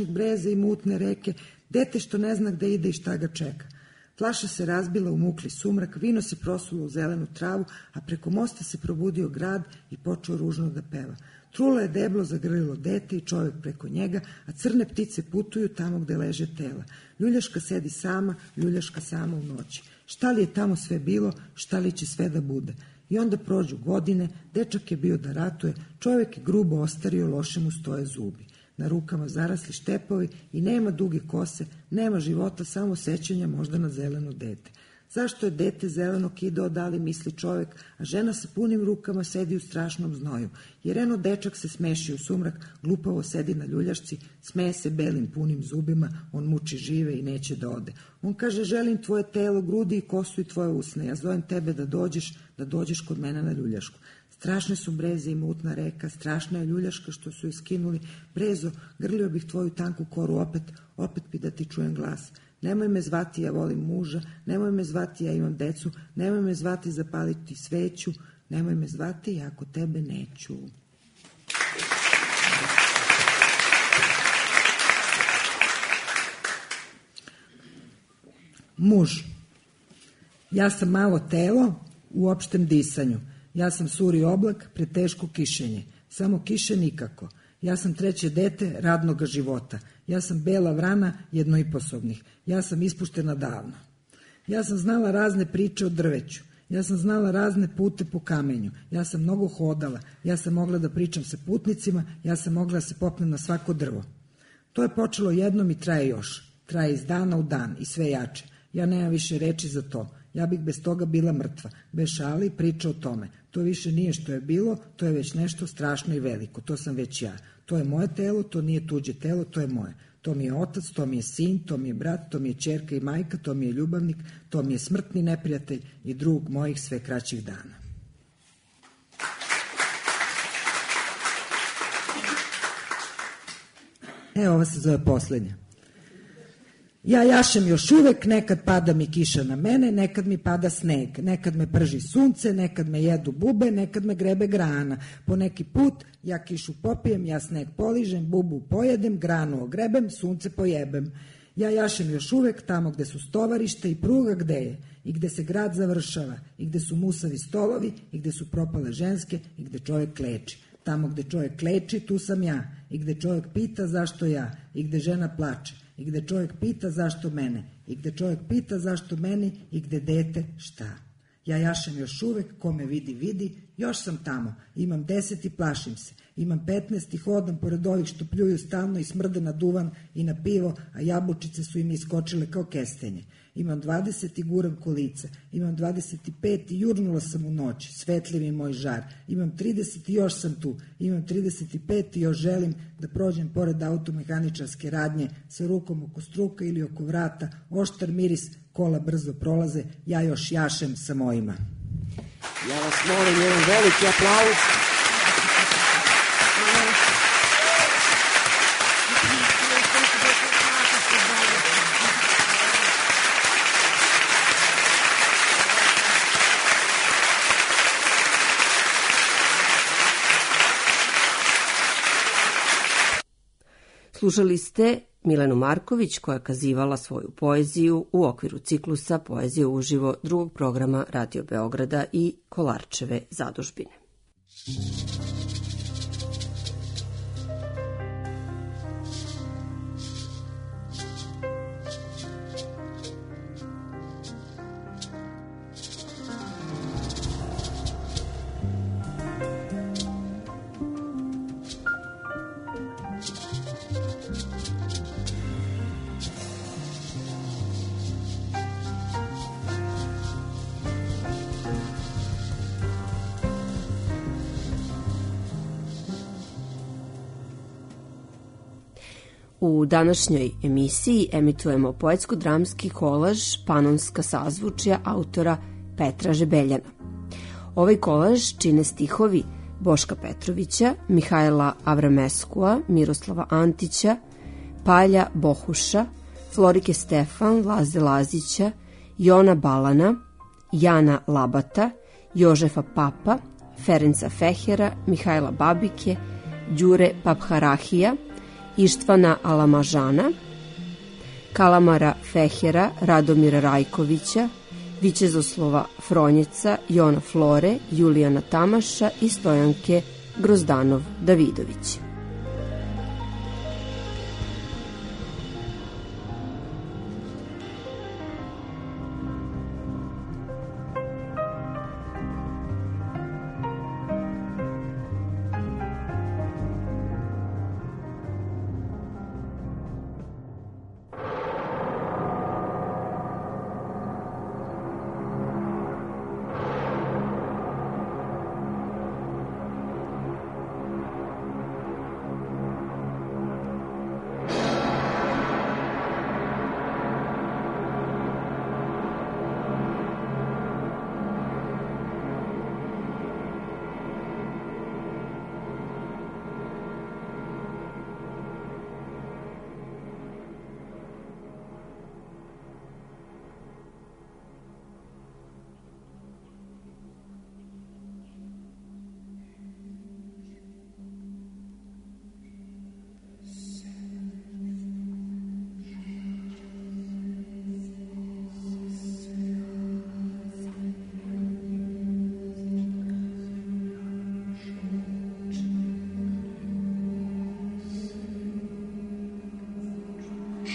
breza i mutne reke, dete što ne zna gde ide i šta ga čeka. Flaša se razbila u mukli sumrak, vino se prosulo u zelenu travu, a preko mosta se probudio grad i počeo ružno da peva. Trula je deblo zagrlilo dete i čovjek preko njega, a crne ptice putuju tamo gde leže tela. Ljuljaška sedi sama, ljuljaška sama u noći. Šta li je tamo sve bilo, šta li će sve da bude? I onda prođu godine, dečak je bio da ratuje, čovjek je grubo ostario, loše mu stoje zubi. Na rukama zarasli štepovi i nema duge kose, nema života, samo sećanja možda na zeleno dete. Zašto je dete zeleno kidao, da li misli čovjek, a žena sa punim rukama sedi u strašnom znoju. Jer eno dečak se smeši u sumrak, glupavo sedi na ljuljašci, smeje se belim punim zubima, on muči žive i neće da ode. On kaže, želim tvoje telo, grudi i kosu i tvoje usne, ja zovem tebe da dođeš kod mene na ljuljašku. Strašne su breze i mutna reka, strašna je ljuljaška što su je skinuli. Brezo, grlio bih tvoju tanku koru opet bi da ti čujem glas. Nemoj me zvati, ja volim muža, nemoj me zvati, ja imam decu, nemoj me zvati zapaliti sveću, nemoj me zvati, ja kod tebe neću. Muž. Ja sam malo telo u opštem disanju. Ja sam suri oblak, preteško kišenje. Samo kiše nikako. Ja sam treće dete radnoga života. Ja sam bela vrana jednoiposobnih. Ja sam ispuštena davno. Ja sam znala razne priče o drveću. Ja sam znala razne pute po kamenju. Ja sam mnogo hodala. Ja sam mogla da pričam sa putnicima. Ja sam mogla da se popnem na svako drvo. To je počelo jednom i traje još. Traje iz dana u dan i sve jače. Ja nemam više reči za to. Ja bih bez toga bila mrtva. Bez šali priča o tome. To više nije što je bilo, to je već nešto strašno i veliko. To sam već ja. To je moje telo, to nije tuđe telo, to je moje. To mi je otac, to mi je sin, to mi je brat, to mi je ćerka i majka, to mi je ljubavnik, to mi je smrtni neprijatelj i drug mojih sve kraćih dana. Ova se zove poslednja. Ja jašem još uvek, nekad pada mi kiša na mene, nekad mi pada sneg, nekad me prži sunce, nekad me jedu bube, nekad me grebe grana. Po neki put ja kišu popijem, ja sneg poližem, bubu pojedem, granu ogrebem, sunce pojebem. Ja jašem još uvek tamo gde su stovarište i pruga gde je, i gde se grad završava, i gde su musavi stolovi, i gde su propale ženske, i gde čovjek kleči. Tamo gde čovjek kleči, tu sam ja, i gde čovjek pita zašto ja, i gde žena plače, i gde čovjek pita zašto mene, i gde čovjek pita zašto meni, i gde dete šta. Ja jašem još uvek, ko me vidi, vidi, još sam tamo, imam 10 i plašim se, imam 15 i hodam pored ovih što pljuju stalno i smrde na duvan i na pivo, a jabučice su im iskočile kao kestenje. Imam 20 i guram kolica, imam 25 i jurnula sam u noć, svetljiv mi moj žar, imam 30 i još sam tu, imam 35 i još želim da prođem pored automehaničarske radnje sa rukom oko struka ili oko vrata, oštar miris, kola brzo prolaze, ja još jašem sa mojima. Ja vas molim, jedan veliki aplauz. Slušali ste Milenu Marković koja je kazivala svoju poeziju u okviru ciklusa Poezija uživo drugog programa Radio Beograda i Kolarčeve zadužbine. U današnjoj emisiji emitujemo poetsko-dramski kolaž Panonska sazvučja autora Petra Žebeljana. Ovaj kolaž čine stihovi Boška Petrovića, Mihajla Avrameskua, Miroslava Antića, Palja Bohuša, Florike Stefan, Laze Lazića, Jona Balana, Jana Labata, Jožefa Papa, Ferenca Fehera, Mihajla Babike, Đure Papharahija, Ištvana Alamažana, Kalamara Fehera, Radomira Rajkovića, Vićezoslova Fronjeca, Jona Flore, Julijana Tamaša i Stojanke Grozdanov-Davidović.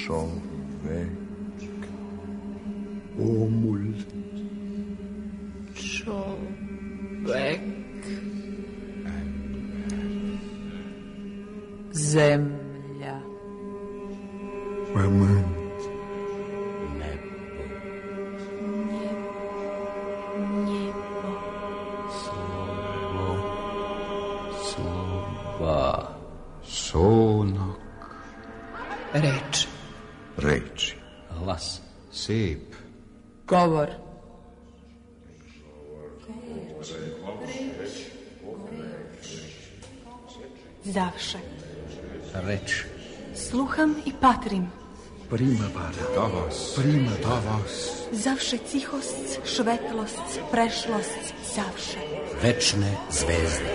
Čovek. Omul. Čovek. Zemlja. Pământ. Szónak. Reč. Reči. Glas. Szép. Govor. Zawsze. Reč. Słucham i patrim. Primavera. Tavas. Prima tavas. Zawsze cichost, švetlost, prešlost, zawsze. Večne zvezde.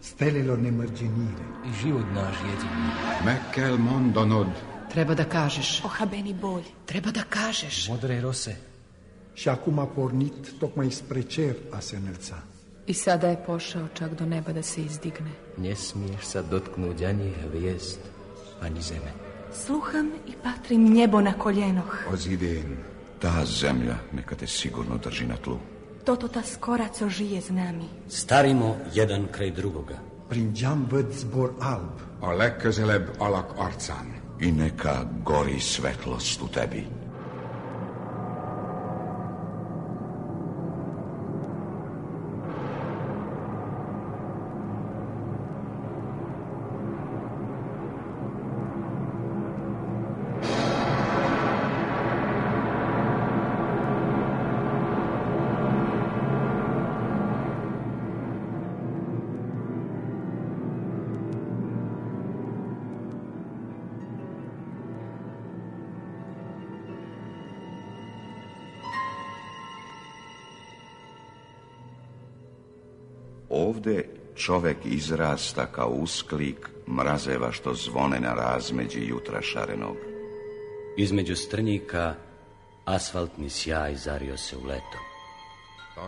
Stelilo nemărginire. Život naš jedini. Meg kell mondanod. Treba da kažeš. Ohabeni bolj. Treba da kažeš. Modre rose. Și acum a pornit tocmai spre cer a se înălța. I sada je pošao čak do neba da se izdigne. Ne smiješ sa dotknut ani hvijest, ani zeme. Sluham i patrim njebo na koljenoh. Od idén. Ta zemlja neka te sigurno drži na tlu. Toto ta skora, co žije z nami. Starimo jedan kraj drugoga. Prin geam văd zbor alb. A legközelebb alak arcán. I neka gori svetlost u tebi. Ovde čovek izrasta kao usklik mrazeva što zvone na razmeđi jutra šarenog. Između strnjika asfaltni sjaj zario se u leto.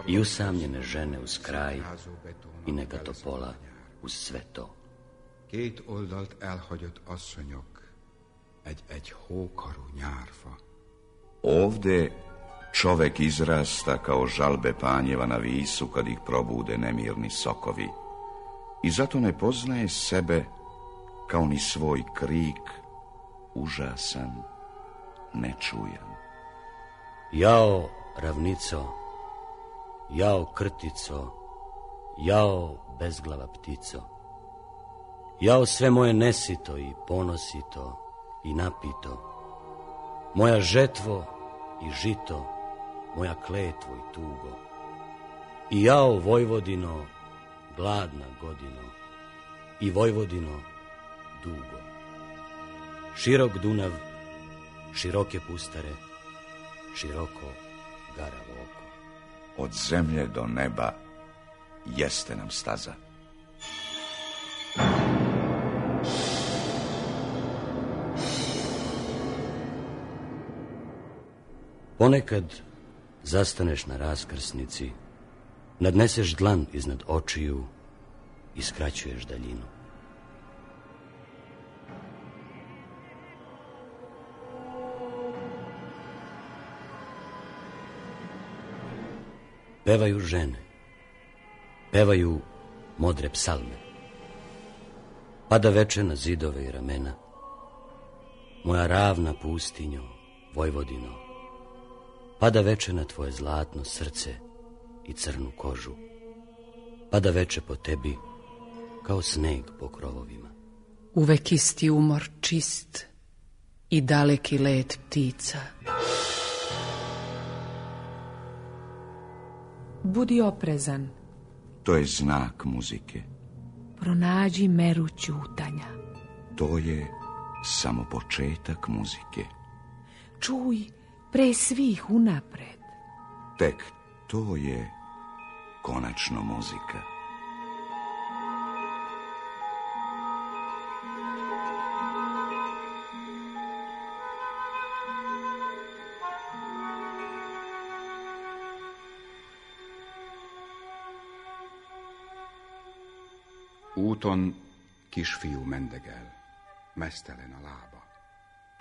I usamljene žene uz kraj i neka topola uz sve to. Két oldalt elhagyott asszonyok, egy hókarú nyárfa. Ovde čovek izrasta kao žalbe panjeva na visu kad ih probude nemirni sokovi. I zato ne poznaje sebe kao ni svoj krik, užasan, nečujan. Jao ravnico, jao krtico, jao bezglava ptico, jao sve moje nesito i ponosito i napito, moja žetvo i žito, moja kletvo i tugo. I jao Vojvodino, gladna godino, i Vojvodino dugo. Širok Dunav, široke pustare, široko garavo oko. Od zemlje do neba jeste nam staza. Ponekad zastaneš na raskrsnici, nadneseš dlan iznad očiju i skraćuješ daljinu. Pevaju žene, pevaju modre psalme. Pada veče na zidove i ramena. Moja ravna pustinjo, Vojvodino, pada veče na tvoje zlatno srce i crnu kožu. Pada veče po tebi kao sneg po krovovima. Uvek isti umor čist i daleki let ptica. Budi oprezan. To je znak muzike. Pronađi meru ćutanja. To je samo početak muzike. Čuj pre svih unapred. Tek to je konačno muzika. Úton kisfiú mendegel, mesztelen a lába.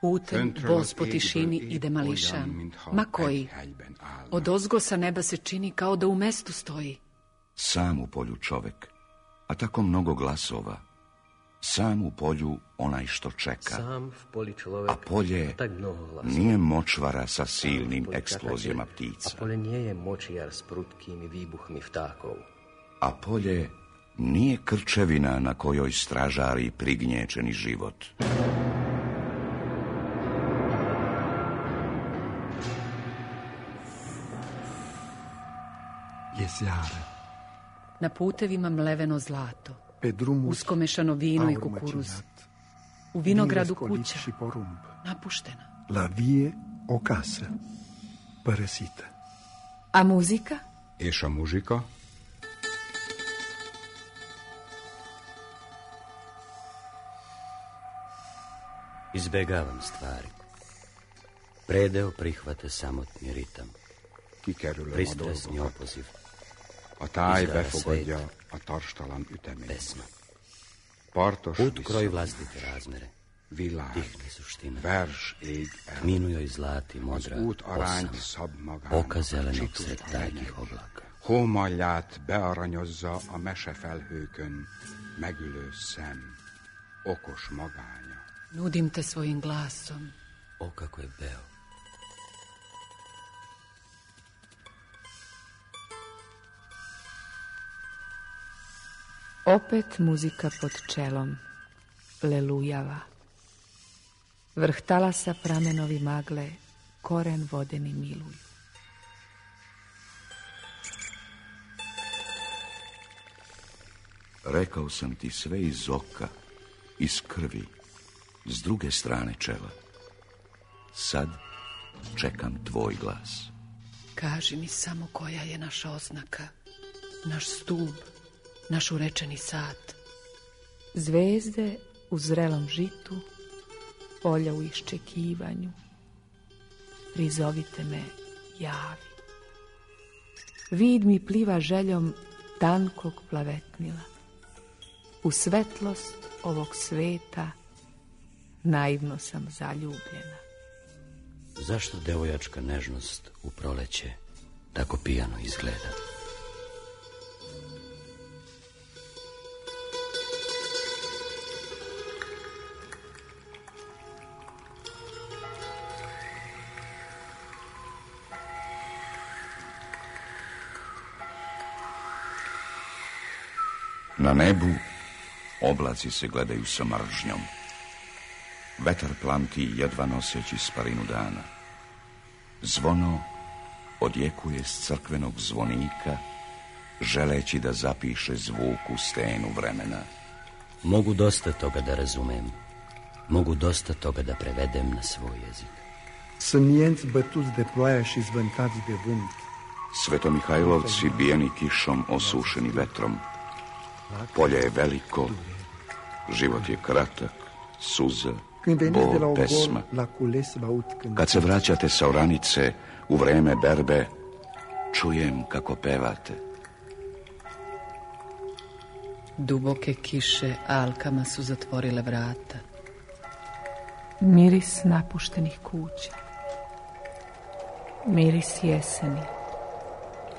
Putem voz po tišini ide mališan. Ma koji? Odozgo sa neba se čini kao da u mestu stoji. Sam u polju čovek, a tako mnogo glasova. Sam u polju onaj što čeka. A polje nije močvara sa silnim eksplozijama ptica. A polje nije močijar s prutkim i vibuhmi vtakov. A polje nije krčevina na kojoj stražari prignječeni život. Jezjara. Na putevima mleveno zlato, uskomešano vino i kukuruz. U vinogradu kuća, napuštena. La vie o casă, părăsită. A muzika? És a muzsika? Izbegavam stvari. Predeo prihvata samotni ritam. Pristresni opoziv. A táj befogadja a tarstalan üteményt. Pesma. Partos Put kroji vlastite razmere. Világ, Tihne suština. vers ég el. Kminu joj zlati modra Az út arányt osam. szab magának. Oka zelenog sred tajkih oblaka. Hómalját bearanyozza a mesefelhőkön megülő szem. Okos magánya. Nudim te svojim glasom. O, kako je beo. Opet muzika pod čelom lelujava. Vrh talasa pramenovi magle koren vodeni miluju. Rekao sam ti sve iz oka, iz krvi, s druge strane čela. Sad čekam tvoj glas. Kaži mi samo koja je naša oznaka, naš stub, naš urečeni sat. Zvezde u zrelom žitu, polja u iščekivanju. Prizovite me, javi. Vid mi pliva željom tankog plavetnila. U svetlost ovog sveta naivno sam zaljubljena. Zašto devojačka nežnost u proleće tako pijano izgleda? Na nebu oblaci se gledaju sa mržnjom. Vetar planti jedva noseći sparinu dana. Zvono odjekuje s crkvenog zvonika, želeći da zapiše zvuk u stenu vremena. Mogu dosta toga da razumem. Mogu dosta toga da prevedem na svoj jezik. Sămienți bătuți de ploaie și zvântați de vânt. Svetomihajlovci bijeni kišom, osušeni vetrom. Polje je veliko, život je kratak, suza, bol, pesma. Kad se vraćate sa oranice u vreme berbe, čujem kako pevate. Duboke kiše alkama su zatvorile vrata. Miris napuštenih kuća. Miris jeseni.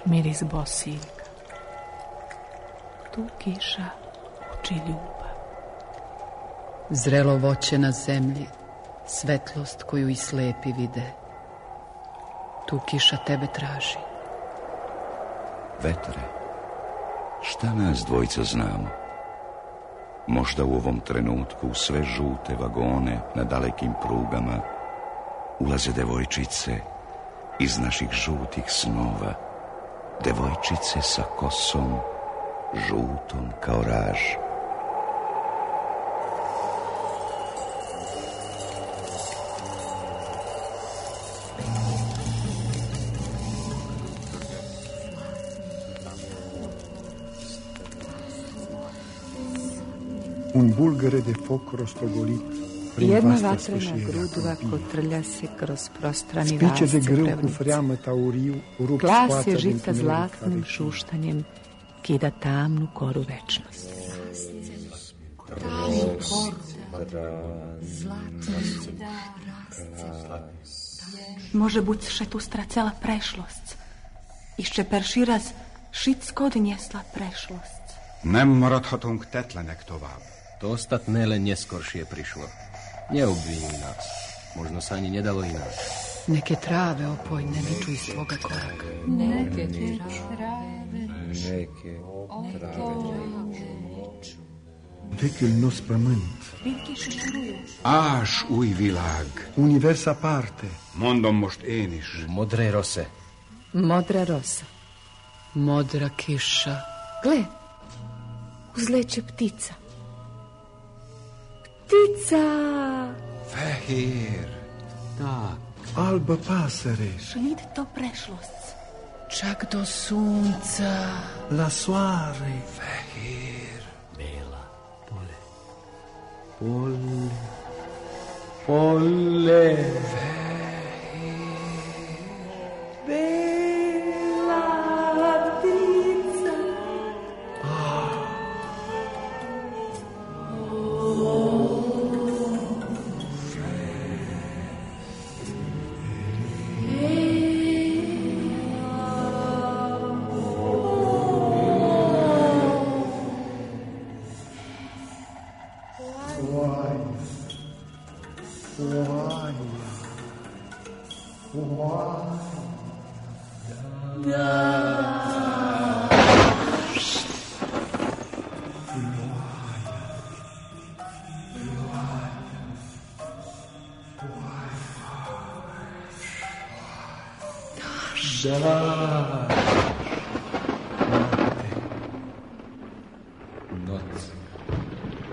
Miris bosiljka. Tu kiša uči ljubav. Zrelo voće na zemlji, svetlost koju i slepi vide. Tu kiša tebe traži. Vetre, šta nas dvojica znamo? Možda u ovom trenutku u sve žute vagone na dalekim prugama ulaze devojčice iz naših žutih snova. Devojčice sa kosom žutom kao raž. Un bulgăre de foc rostogolit prin Jedna vasta vatrena sfâșiere a grudva câmpii. kotrlja se kroz prostrani Spice de rasce grâu cu Prevnice. freamă tauriu rup Glas scoața je din žita tunelul zlatnim care šuštanjem kida tamnu koru večnosti. Może być šetustra cela prešlost. Jeszcze perši raz všetko odniesla prešlost. Nem maradhatunk tetlenek tovább. To ostatné len neskoršie prišlo. Neobvinuj nás. Možno sa ani nedalo ináč. Neke trave opojne niču iz tvoga koraka. Neke trave. Vechiul nostru pământ. Ás új világ. Univers aparte. Mondom most én is. Modré rose. Modra rosa. Modra kiša. Gle, uzleće ptica. Ptica! Fehér. Tak. Albă pasăre. Šlid to prešlost. Čak do sunca. La soare. Fehér. Bela. Pole. Bela ptica.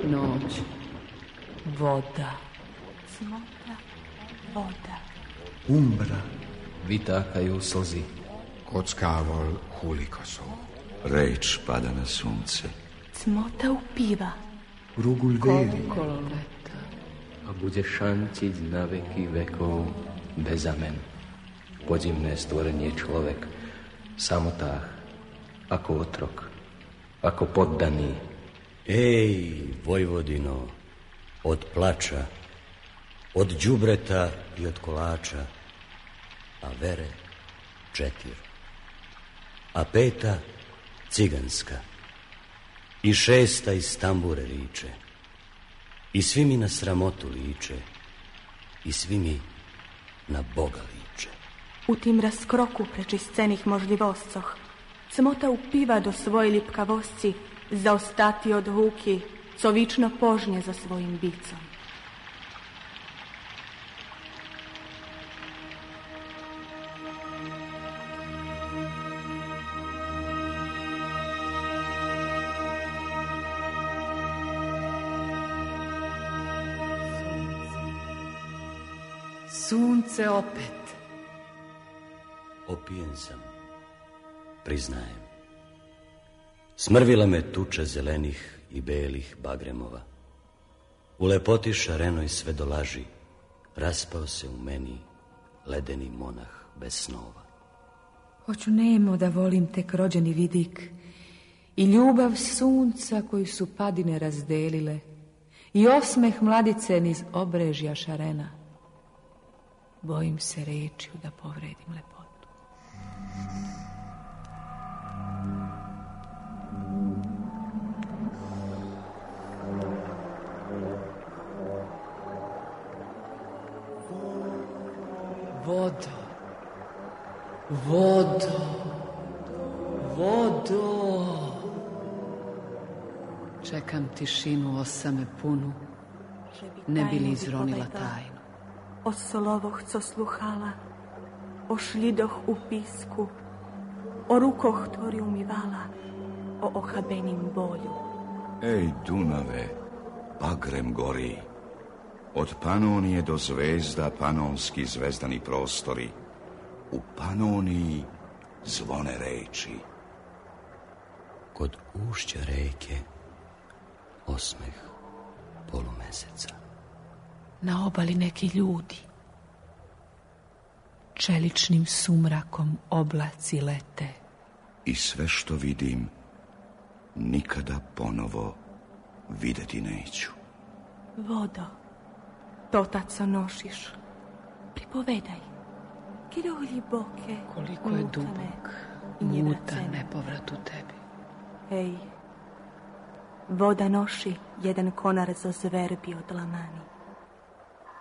Noć. Voda. Cmota, voda. Umbra. Vytákajú slzy. Kockával hulikosov. Reč pada na sunce. Cmota upiva. Rugul veri. Okolo leta. A bude šantiť na veky vekov bez amen. Podivné stvorenie človek. V samotách. Ako otrok. Ako poddaný. Ej, Vojvodino, od plača, od đubreta i od kolača, a vere 4, a 5 ciganska, i 6 iz tambure riče, i svi mi na sramotu liče, i svi mi na Boga liče. U tim razkroku prečiscenih možljivoscoh, cmota upiva do svoje lipkavosci, zaostati od huki, co vično požnje za svojim bicom. Sunce opet. Opijen sam, priznajem. Smrvila me tuča zelenih i belih bagremova. U lepoti šarenoj sve do laži raspao se u meni ledeni monah bez snova. Hoću nemo da volim tek rođeni vidik i ljubav sunca koju su padine razdelile i osmeh mladice niz obrežja šarena. Bojim se rečju da povredim lepotu. Vodo, vodo, vodo. Čekam tišinu osame punu, ne bi li izronila tajnu. O slovoh, co sluhala, o šlidoh u pisku, o rukoh, ktorý umývala, o ochabením bolju. Ej, Dunave, bagrem gori. Od Panonije do zvezda panonski zvezdani prostori. U Panoniji zvone reči. Kod ušća reke osmeh polumeseca. Na obali neki ljudi. Čeličnim sumrakom oblaci lete. I sve što vidim nikada ponovo videti neću. Vodo, totaco nošiš, pripovedaj, kirolji boke, koliko je dubok, mutan nepovrat u tebi. Ej, voda noši jedan konar za zverbi od lamani.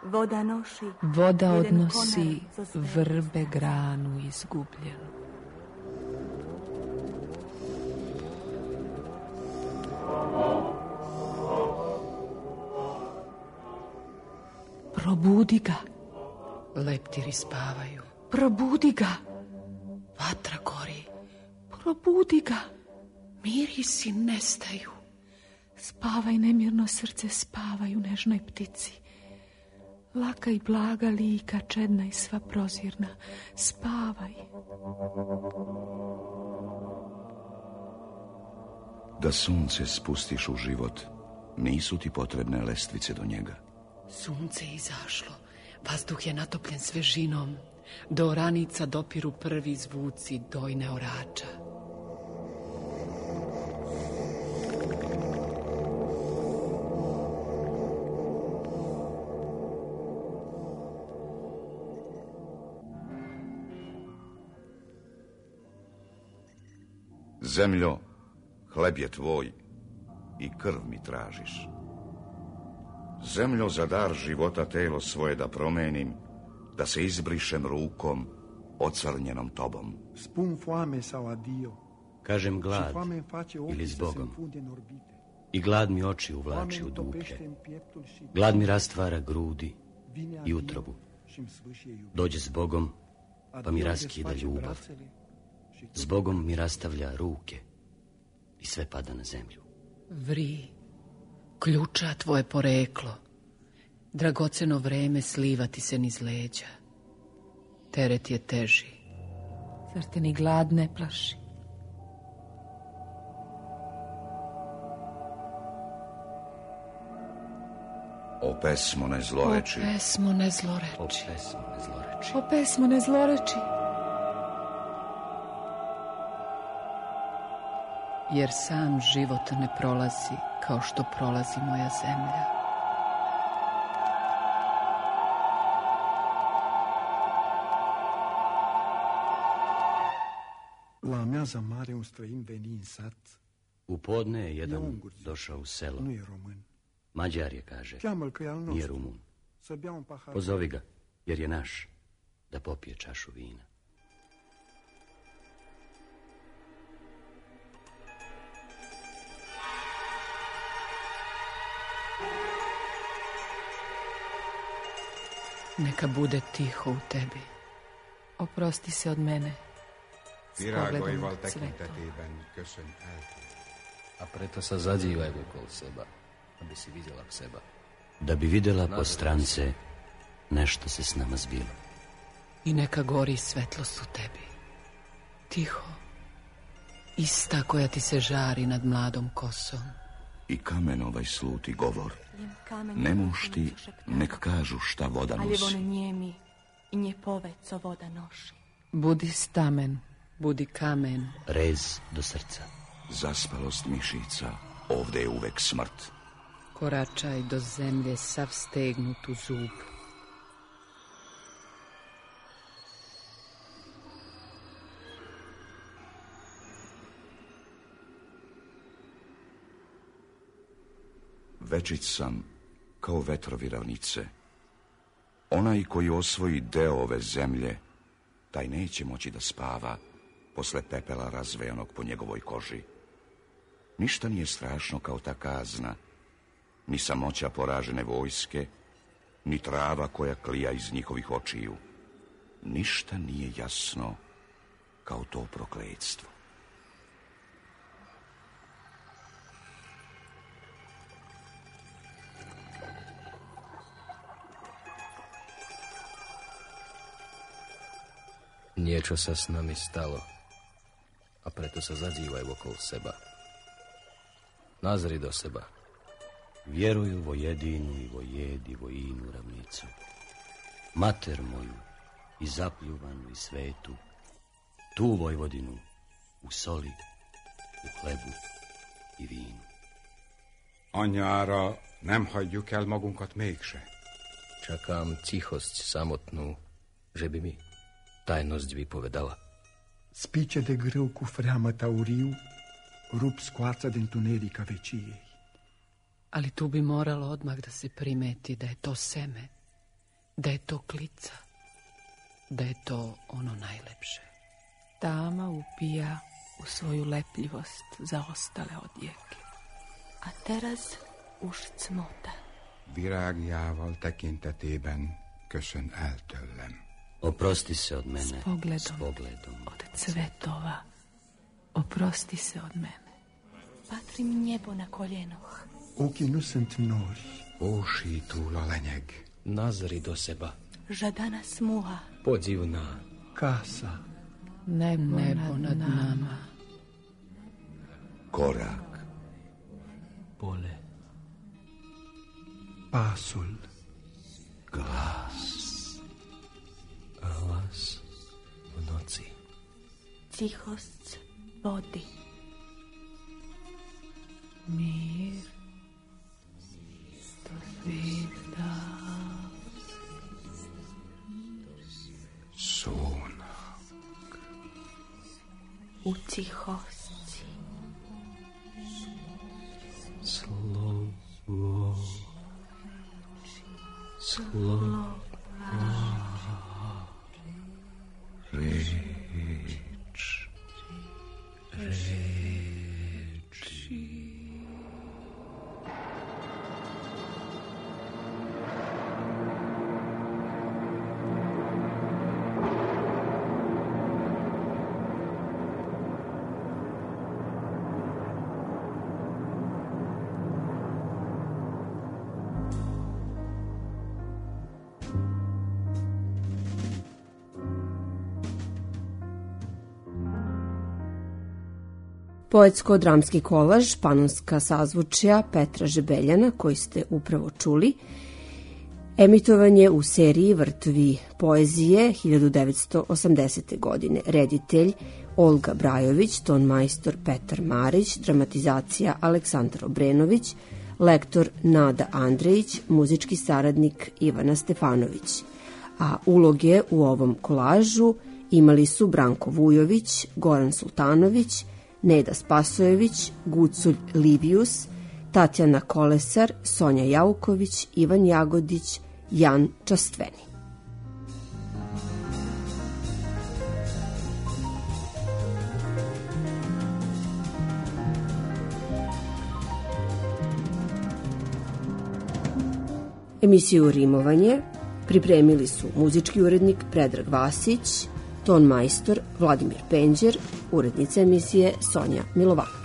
Voda noši... Voda odnosi vrbe granu izgubljenu. Probudi ga. Leptiri spavaju. Probudi ga. Vatra gori. Probudi ga. Mirisi nestaju. Spavaj, nemirno srce, spavaj u nežnoj ptici. Laka i blaga lika, čedna i sva prozirna, spavaj. Da sunce spustiš u život, nisu ti potrebne lestvice do njega. Sunce je izašlo, vazduh je natopljen svežinom, do oranica dopiru prvi zvuci dojne orača. Zemljo, hleb je tvoj i krv mi tražiš. Zemljo, za dar života telo svoje da promenim, da se izbrišem rukom ocrnjenom tobom. Spun foame sau adio. Kažem glad ili s Bogom. I glad mi oči uvlači u duplje. Glad mi rastvara grudi i utrobu. Dođe s Bogom, pa mi raskida ljubav. S Bogom mi rastavlja ruke i sve pada na zemlju. Vri, ključa tvoje poreklo, dragoceno vreme slivati se niz leđa. Teret je teži. Zar te ni glad ne plaši? O pesmo ne zloreči. O pesmo ne zloreči. O pesmo ne zloreči. O pesmo ne zloreči. Jer sam život ne prolazi kao što prolazi moja zemlja. La amiaza mare un străin veni în sat. U podne je jedan došao u selo. Nu e român. Mađar je, kaže, Cheamă-l că e al nije nostru. Rumun. Să bea un pahar. Pozovi ga, jer je naš, da popije čašu vina. Neka bude tiho u tebi. Oprosti se od mene. Virágaival tekintetében köszön el. A preto sa zadívaj okolo seba, aby si videla k seba. Da bi vidjela po strance nešto se s nama zbilo. I neka gori svetlost u tebi. Tiho. Ista koja ti se žari nad mladom kosom. I kamen ovaj sluti govor. Nemušti nek kažu šta voda Ali nosi. on njemi i nje pove, co voda noši. Budi stamen, budi kamen. Rez do srca. Zaspalost mišica, ovde je uvek smrt. Koračaj do zemlje sav stegnut u zub. Večit sam kao vetrovi ravnice. Onaj koji osvoji deo ove zemlje, taj neće moći da spava posle pepela razvejanog po njegovoj koži. Ništa nije strašno kao ta kazna, ni samoća poražene vojske, ni trava koja klija iz njihovih očiju. Ništa nije jasno kao to prokletstvo. Niečo sa s nami stalo, a preto sa zazývaj okolo seba. Nazri do seba. Vjeruju vo jedinu i vo jedi vo inu ravnicu. Mater moju i zapljuvanu i svetu, tu Vojvodinu u soli, u hlebu i vinu. Anyára nem hagyjuk el magunkat mégse. Čakám tichosť samotnú, že by mi tajnosť vypovedala. Spice de greu cu freamă tauriu rup scoața de întunerica veciei. Ali tu bi moralo odmah da se primeti da je to seme, da je to klica, da je to ono najlepše. Tama upija u svoju lepljivost zaostale odjeke. A teraz už cmota. Virágjával tekintetében köszön el tőlem. Oprosti se od mene s pogledom od cvetova. Oprosti se od mene. Patrim nebo na koljenoh. Ochii nu sunt nori. Ósítul a lenyeg. Nazri do seba. Žadana smuha. Podivná. Casa. Nebo nad nama. Korak. Pole. Pasul. Glas. Glas v noci. Tihost vody. Mir. To svijeta. Sunak. U tihosti. Slovo. Slovo. Reč. Poetsko-dramski kolaž Panonska sazvučja Petra Žebeljana, koji ste upravo čuli, emitovan je u seriji Vrtovi poezije 1980. godine. Reditelj Olga Brajović, tonmajstor Petar Marić, dramatizacija Aleksandar Obrenović, lektor Nada Andrejić, muzički saradnik Ivana Stefanović. A uloge u ovom kolažu imali su Branko Vujović, Goran Sultanović, Neda Spasojević, Guculj Livius, Tatjana Kolesar, Sonja Jauković, Ivan Jagodić, Jan Častveni. Emisiju Rimovanje pripremili su muzički urednik Predrag Vasić, ton majstor Vladimir Penđer, urednica emisije Sonja Milovanović.